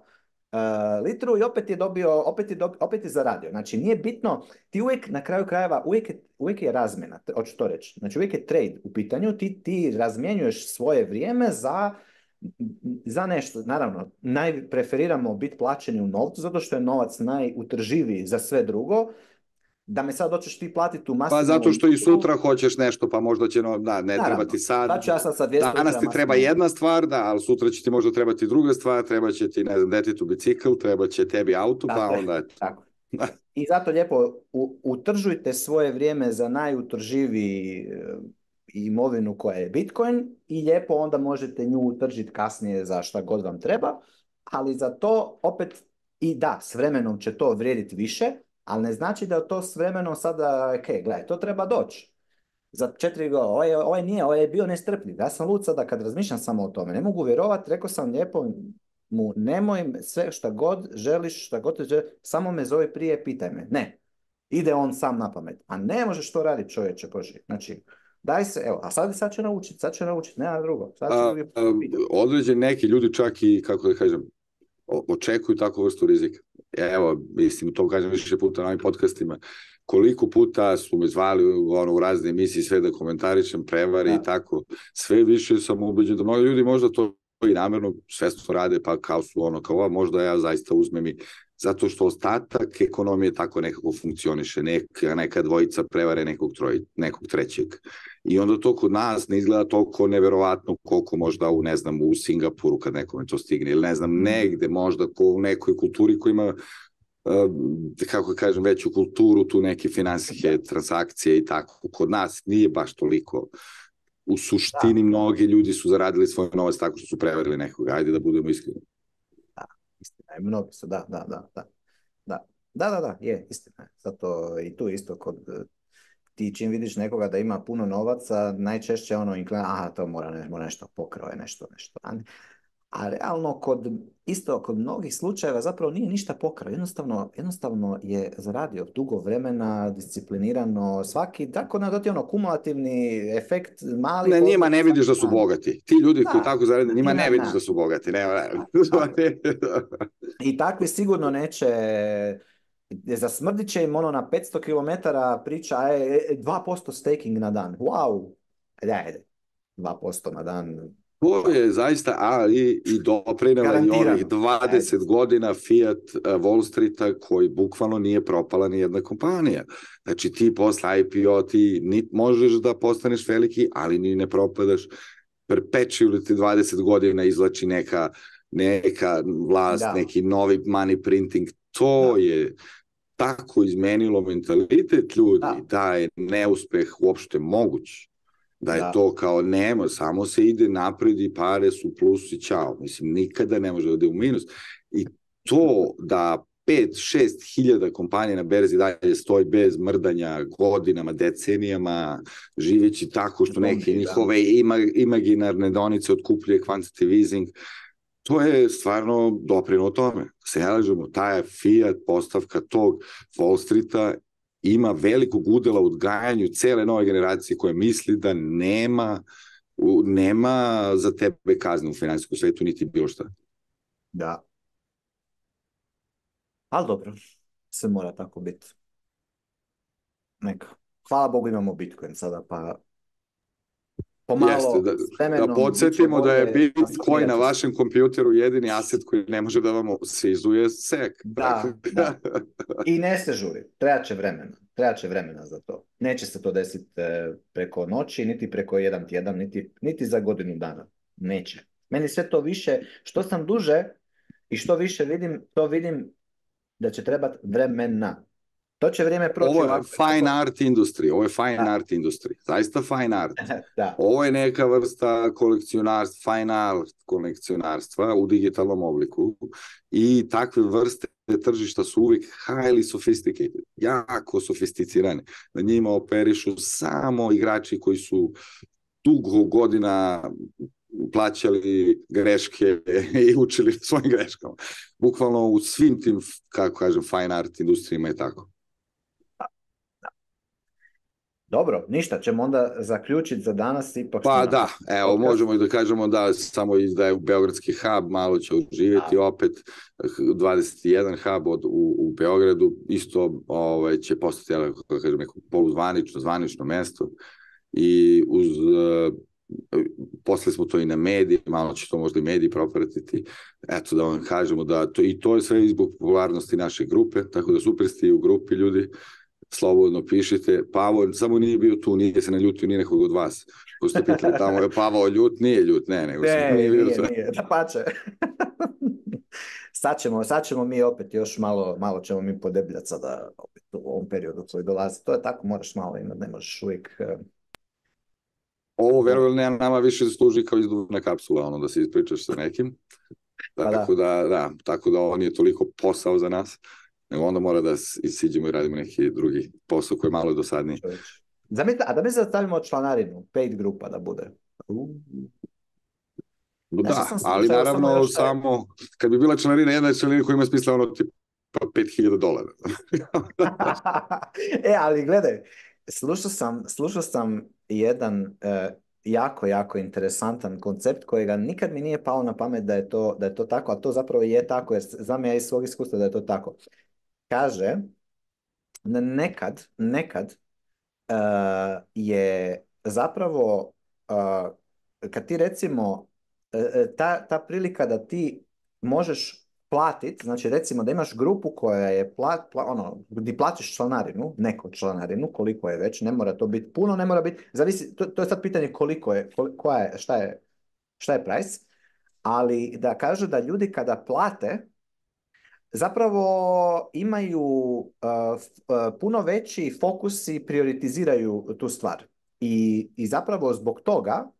uh, litru i opet je dobio, opet je, dobi, opet je zaradio. Znači nije bitno, ti uvijek na kraju krajeva, uvijek je, uvijek je razmjena, hoću to reći. Znači uvijek je trade u pitanju, ti, ti razmjenjuješ svoje vrijeme za, za nešto. Naravno, najpreferiramo biti plaćeni u novcu, zato što je novac najutrživiji za sve drugo. Da me sad hoćeš ti platiti u masivnu... Pa zato što i sutra hoćeš nešto, pa možda će, no, da, ne Naravno, treba ti sad. sad ću ja sad sa dvjesto Danas ti treba jedna stvar, da, ali sutra će ti možda trebati druga stvar, treba će ti, ne znam, detetu bicikl, treba će tebi auto, tako, pa onda... Tako. I zato lijepo u, utržujte svoje vrijeme za najutrživiji imovinu koja je Bitcoin i lijepo onda možete nju utržiti kasnije za šta god vam treba, ali za to opet i da, s vremenom će to vrijediti više, ali ne znači da to s vremenom sada, ok, gledaj, to treba doći. Za četiri godine, ovaj, ovaj nije, ovaj je bio nestrpljiv. Ja sam lud sada kad razmišljam samo o tome. Ne mogu vjerovati, rekao sam lijepo mu, nemoj sve šta god želiš, šta god te želiš, samo me zove prije, pitaj me. Ne, ide on sam na pamet. A ne možeš to raditi, čovječe, Boži. Znači, daj se, evo, a sad, sad će naučiti, sad će naučiti, nema drugo. Sad će a, a, određeni neki ljudi čak i, kako da kažem, očekuju takvu vrstu rizika. Evo, mislim, to kažem više puta na ovim podcastima, koliko puta su me zvali ono, u razne emisije, sve da komentarišem, prevari da. I tako. Sve više sam ubeđen da mnogi ljudi možda to i namjerno svesno rade, pa kao su ono, kao možda ja zaista uzmem i zato što ostatak ekonomije tako nekako funkcioniše, neka, neka dvojica prevare nekog, troj, nekog trećeg. I onda to kod nas ne izgleda toliko neverovatno koliko možda u, ne znam, u Singapuru kad nekome to stigne, ili ne znam, negde možda ko u nekoj kulturi koja ima Uh, kako kažem, veću kulturu, tu neke finansijske transakcije i tako. Kod nas nije baš toliko. U suštini da. Mnogi ljudi su zaradili svoj novac tako što su prevarili nekoga. Ajde da budemo iskreni. Da, istina je. Mnogi su, da, da, da, da. Da, da, da, da je, istina je. Zato i tu isto kod ti čim vidiš nekoga da ima puno novaca, najčešće ono inklina, aha, to mora, ne, mora nešto pokrao, nešto, nešto. A realno, kod, isto kod mnogih slučajeva zapravo nije ništa pokrao. Jednostavno, jednostavno je zaradio dugo vremena, disciplinirano, svaki, tako da ti ono kumulativni efekt mali... Ne, njima ne vidiš da su bogati. Ti ljudi da, koji tako zarade, njima ne vidiš da su bogati. Ne, ne. I takvi sigurno neće... Zasmrdit će im ono na petsto kilometara priča, je, dva posto staking na dan. Wow! Ajde, ajde. dva posto na dan... To je zaista, ali i doprinela i ovih dvadeset Ajde. Godina Fiat Wall Streeta koji bukvalno nije propala ni jedna kompanija. Znači ti posle I P O ti ni možeš da postaneš veliki, ali ni ne propadaš. Perpetually ti dvadeset godina izlači neka, neka vlast, da. Neki novi money printing. To da. Je tako izmenilo mentalitet ljudi da, da je neuspeh uopšte moguć. Da je da. To kao nema, samo se ide napred i pare su plus i čao. Mislim, nikada ne može da ide u minus. I to da pet šest hiljada kompanija na berzi dalje stoji bez mrdanja godinama, decenijama, živeći tako što neke njihove ima, imaginarne donice otkupljuje quantitative easing, to je stvarno doprino tome. Se ja lažemo, ta je Fiat postavka tog Wall Streeta ima velikog udela u odgajanju cele nove generacije koje misli da nema, nema za tebe kazne u finansijskom svetu, niti bilo šta. Da. Ali dobro, sve mora tako biti. Neka. Hvala Bogu imamo Bitcoin sada, pa pomalo Jeste, da, vremenom, da podsjetimo da je Bitcoin na vašem kompjuteru jedini aset koji ne može da vam se izuje sek. Da, da. I ne se žuri. Treba će vremena. Treba će vremena za to. Neće se to desiti preko noći, niti preko jedan tjedan, niti, niti za godinu dana. Neće. Meni sve to više, što sam duže i što više vidim, to vidim da će trebati vremena. To će vrijeme proći. Ovo je fine art industry, ovo je fine da. Art industry, zaista fine art. Da. Ovo je neka vrsta kolekcionarstva, fine art kolekcionarstva u digitalnom obliku i takve vrste tržišta su uvijek highly sophisticated, jako sofisticirane. Na njima operišu samo igrači koji su dugo godina plaćali greške i učili svojim greškama. Bukvalno u svim tim, kako kažem, fine art industrijima je tako. Dobro, ništa, ćemo onda zaključiti za danas, ipak smo Pa na da, evo, podcast. možemo i da kažemo da samo izdaje Beogradski hub, malo će oživjeti opet, dvadeset jedan hub od, u, u Beogradu, isto ovaj, će postati, ali, kako kažem, neko poluzvanično, zvanično mesto i uz, uh, posle smo to i na mediji, malo će to možda i mediji propratiti, eto da vam kažemo da to, i to je sve zbog popularnosti naše grupe, tako da super ste i u grupi ljudi, slobodno pišite. Pavo samo nije bio tu, nije se naljutio ni nekog od vas. Ko ste pitali tamo, je Pavao ljut? Nije ljut, ne, nego ne, nije, nije, nije, nije, da pače. sad, ćemo, sad ćemo mi opet još malo, malo ćemo mi podebljati sada opet u ovom periodu koji dolazi. To je tako, moraš malo imati, ne možeš uvijek... Ovo, verovali ne, nama više služi kao izduvna kapsula, ono, da se ispričaš sa nekim. Pa tako da. da, da, tako da ovo nije toliko posao za nas, nego onda mora da isiđemo i radimo neki drugi posao koji je malo dosadniji. Zamislite, a da mi zastavimo članarinu, paid grupa da bude. Uh. Da, sam ali naravno samo, samo kad bi bila članarina, jedna članarina koja ima smisla ono tipa pet hiljada dolara. e, ali gledaj, slušao sam, slušao sam jedan uh, jako, jako interesantan koncept kojega nikad mi nije palo na pamet da je to, da je to tako, a to zapravo je tako, jer znam ja iz svog iskustva da je to tako. Kaže, nekad, nekad uh, je zapravo, uh, kad ti recimo, uh, ta, ta prilika da ti možeš platiti, znači recimo da imaš grupu koja je, plat, pla, ono, gdje platiš članarinu, neku članarinu, koliko je već, ne mora to biti puno, ne mora biti, zavisi, to, to je sad pitanje koliko je, kol, koja je, šta je, šta je price, ali da kaže da ljudi kada plate, zapravo imaju uh, uh, puno veći fokus i prioritiziraju tu stvar. I, i zapravo zbog toga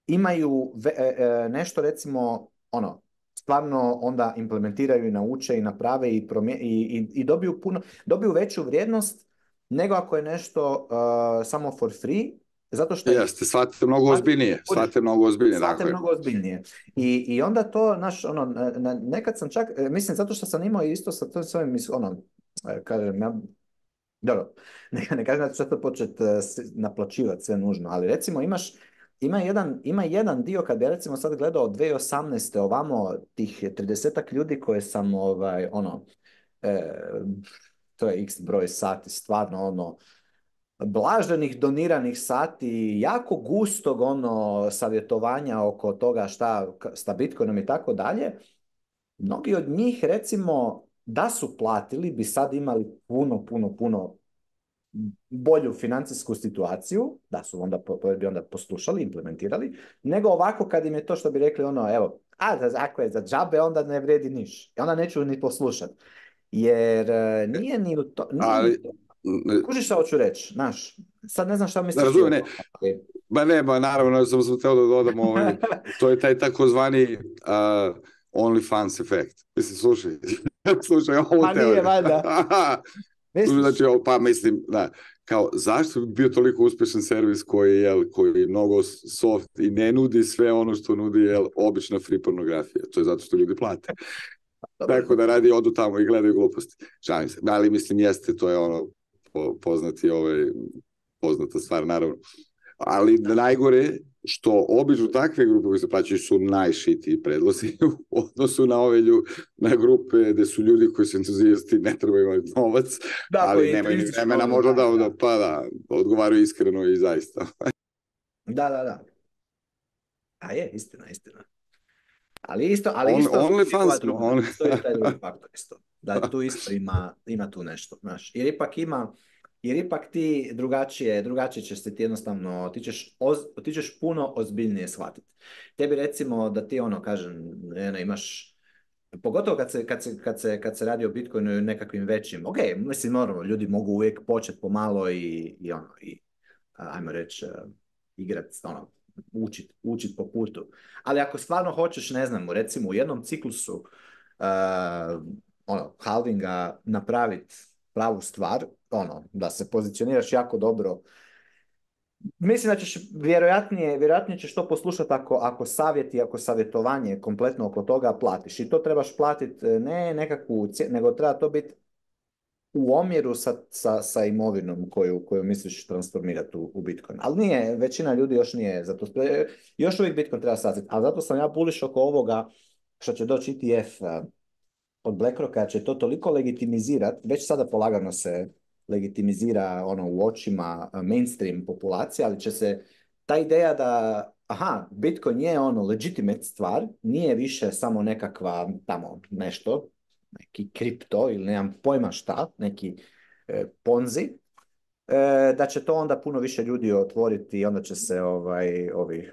imaju ve, uh, nešto recimo, ono, stvarno onda implementiraju i nauče i naprave i, promje, i, i, i dobiju puno, dobiju veću vrijednost nego ako je nešto uh, samo for free. Zato što jeste, shvatite mnogo ozbiljnije, shvatite mnogo ozbiljnije. Shvatite mnogo ozbiljnije. I, I onda to, naš, ono, na, nekad sam čak, mislim, zato što sam imao isto sa to svojim, ono, kažem, ja, dobro, ne, ne kažem da ću to početi naplaćivati sve nužno, ali recimo imaš, ima jedan, ima jedan dio, kad bi recimo sad gledao dvije tisuće osamnaeste ovamo, tih tridesetak ljudi koje sam, ovaj, ono, e, to je x broj sati, stvarno, ono, blaženih doniranih sati, jako gustog ono savjetovanja oko toga šta sa Bitcoinom i tako dalje. Mnogi od njih recimo da su platili bi sad imali puno, puno, puno bolju financijsku situaciju, da su onda, bi onda poslušali, implementirali, nego ovako kad im je to što bi rekli ono, evo, a ako je za džabe onda ne vredi niš. I onda neću ni poslušati. Jer nije ni u to... Nije ali... ni to. Kužiš šta hoću reći, znaš, sad ne znam šta misliš. Razumijem, ne, ba ne, ba naravno, sam sam teo da dodam, ovaj, to je taj takozvani uh, OnlyFans efekt. Mislim, slušaj, slušaj, ovo pa teoriju. nije, valjda. Znači, pa mislim, da, kao, zašto bi bio toliko uspešan servis koji, jel, koji je mnogo soft i ne nudi sve ono što nudi, jel, obična free pornografija. To je zato što ljudi plate. Tako da radi, odu tamo i gledaju gluposti. Šalim se, ali mislim, jeste, to je ono, po, poznati, ovaj, poznata stvar, naravno. Ali najgore što obično takve grupe koji se plaćaju su najšitiji predlozi u odnosu na ove lju, na grupe gde su ljudi koji su entuzijasti, ne treba imati novac, da, ali nemaju ni vremena možda da, da, pa da, odgovaraju iskreno i zaista. Da, da, da. A je, istina, istina. Ali isto, ali on, isto, on fans, druga, on... isto je taj drugi faktor isto. Da tu isto ima, ima tu nešto, znaš. Jer ipak ima, jer ipak ti drugačije, drugačije ćeš se ti jednostavno, ti ćeš, oz, ti ćeš puno ozbiljnije shvatiti. Tebi recimo da ti ono, kažem, ne, imaš, pogotovo kad se, kad se, kad se, kad se radi o Bitcoinu i nekakvim većim, ok, mislim, normalno, ljudi mogu uvijek početi pomalo i, i ono, i, ajmo reći, igrati, ono, učit, učit po putu. Ali ako stvarno hoćeš, ne znam, recimo u jednom ciklusu uh, ono, halvinga napraviti pravu stvar, ono, da se pozicioniraš jako dobro, mislim da ćeš vjerojatnije, vjerojatnije ćeš to poslušati ako, ako savjet i ako savjetovanje kompletno oko toga platiš. I to trebaš platiti ne nekakvu cijenu, nego treba to biti u omjeru sa, sa, sa imovinom koju, koju misliš transformirati u, u Bitcoin. Ali nije, većina ljudi još nije, zato još uvijek Bitcoin treba saznati. Ali zato sam ja bullish oko ovoga što će doći E T F uh, od BlackRocka, će to toliko legitimizirati, već sada polagano se legitimizira ono u očima mainstream populacije, ali će se ta ideja da aha, Bitcoin je ono legitimate stvar, nije više samo nekakva tamo nešto, neki kripto ili nemam pojma šta, neki e, ponzi, e, da će to onda puno više ljudi otvoriti i onda će se ovaj, ovi e,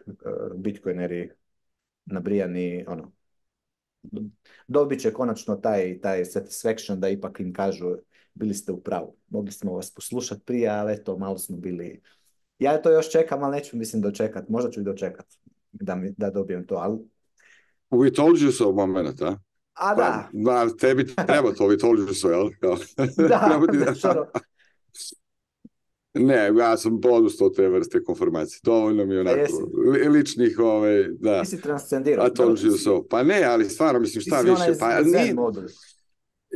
bitcoineri nabrijani, ono, dobit će konačno taj, taj satisfaction da ipak im kažu bili ste u pravu. Mogli smo vas poslušati prije, ali eto, malo smo bili... Ja to još čekam, ali neću mislim dočekat. Možda ću i dočekat da, mi, da dobijem to, ali... We told you so moment, a? A da. Pa, da, tebi treba to, we told you so, jel? Da, da. Ne, ja sam odustao te vrste konformacije. Dovoljno mi je onako li, ličnih, ove, da. Ti si transcendirao. A told you so. Pa ne, ali stvarno, mislim, šta više. Pa, ni,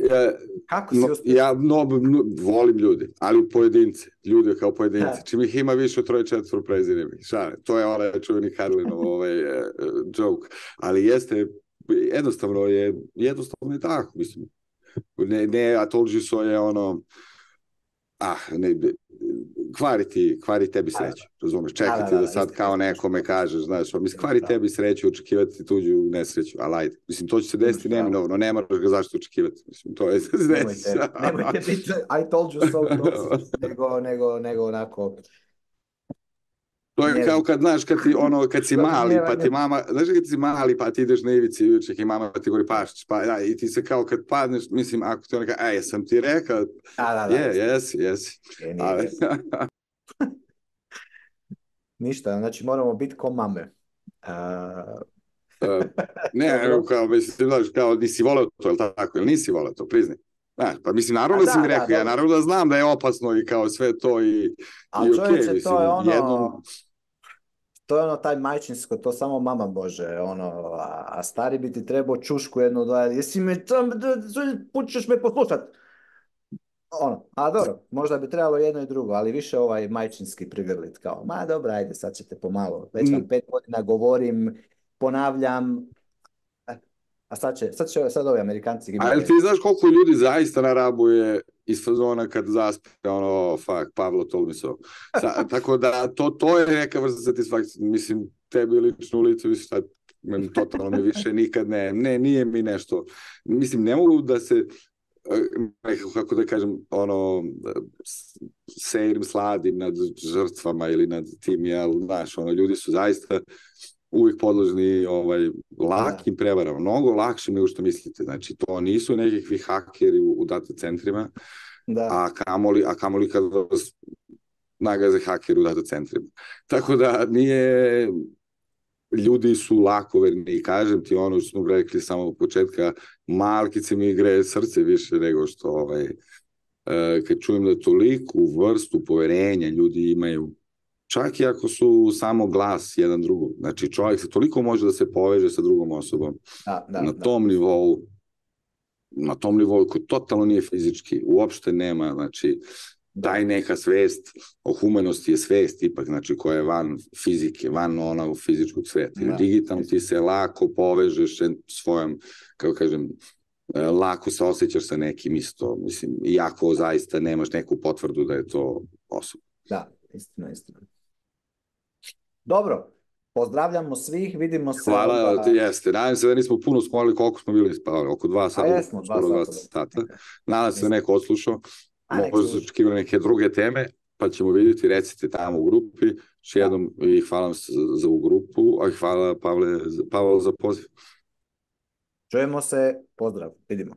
ja, Kako si no, ja no, no, volim ljudi, ali pojedince, ljude kao pojedince. Čim ih ima više od troje četvr preziremi. Šale, to je onaj čuveni Karlinov ovaj, uh, joke. Ali jeste, jednostavno je, jednostavno je tako, mislim. Ne, ne, a told you so je ono, ah, ne, kvari ti, kvari tebi sreću, razumeš, čekati da, da, da, da sad kao nekome kažeš, znaš, mislim, kvari tebi sreću, očekivati tuđu nesreću, ali ajde, mislim, to će se desiti neminovno, ne moraš ga zašto očekivati, mislim, to je se desi. Nemojte, nemojte biti, I told you so, nego, nego, nego onako... To je kao kad, znaš, kad, ti, ono, kad si mali, pa ti mama, znaš kad si mali, pa ti ideš na ivici juček i mama ti govori pašć, pa ja, i ti se kao kad padneš, mislim, ako ti ona kaže, ej, sam ti rekao, da, da, je, jesi, jesi. Ništa, znači moramo biti ko mame. Uh... uh, ne, kao, mislim, znaš, kao, nisi voleo to, ili tako, ili nisi voleo to, priznaj. Znaš, pa mislim, naravno da si mi rekao, ja naravno da znam da je opasno i kao sve to i, ali i čovječe, okay, mislim, to je ono, jednom... to je ono taj majčinsko, to samo mama može, ono, a, a stari bi ti trebao čušku jednu, dva, jesi me tam, pućeš me poslušat. Ono, a dobro, možda bi trebalo jedno i drugo, ali više ovaj majčinski prigrlit, kao, ma dobro, ajde, sad ćete pomalo, već vam pet godina govorim, ponavljam, a sad će, sad će, sad ovi Amerikanci... A jel ti znaš koliko ljudi zaista na Rabu je iz fazona kad zaspe, ono, fuck, Pavlo told me so. Sa, tako da, to, to je neka vrsta satisfakcije, mislim, tebi lično u licu, mislim, šta, totalno mi više nikad ne, ne, nije mi nešto, mislim, ne mogu da se, kako da kažem, ono, sejrim, sladim nad žrtvama ili nad tim, jel, znaš, ono, ljudi su zaista uvijek podložni ovaj, lakim prevarama, mnogo lakšim nego što mislite. Znači, to nisu nekakvi hakeri u, u data centrima, da. a kamoli, a kamoli kad vas nagaze hakeri u data centrima. Tako da nije... Ljudi su lakoverni i kažem ti ono što smo rekli samo od početka, malkice mi gre srce više nego što ovaj, uh, kad čujem da toliku vrstu poverenja ljudi imaju, čak i ako su samo glas jedan drugog. Znači čovjek se toliko može da se poveže sa drugom osobom da, da, na tom da. nivou, na tom nivou koji totalno nije fizički, uopšte nema, znači taj neka svest o humanosti je svest ipak, znači koja je van fizike, van onog fizičkog sveta. Da. Digitalno ti se lako povežeš svojom, kako kažem, lako se osjećaš sa nekim isto, mislim, iako zaista nemaš neku potvrdu da je to osoba. Da, istina, istina. Dobro, pozdravljamo svih, vidimo se... Hvala, onda... jeste. Nadam se da nismo puno smolili, koliko smo bili spavali, oko dva sata. Jesmo, dva skoro sata. sata. Nadam se da neko odslušao. Možda su očekivali neke druge teme, pa ćemo vidjeti, recite tamo u grupi. Još jednom i hvala vam za ovu grupu, a hvala Pavle, Pavel za poziv. Čujemo se, pozdrav, vidimo.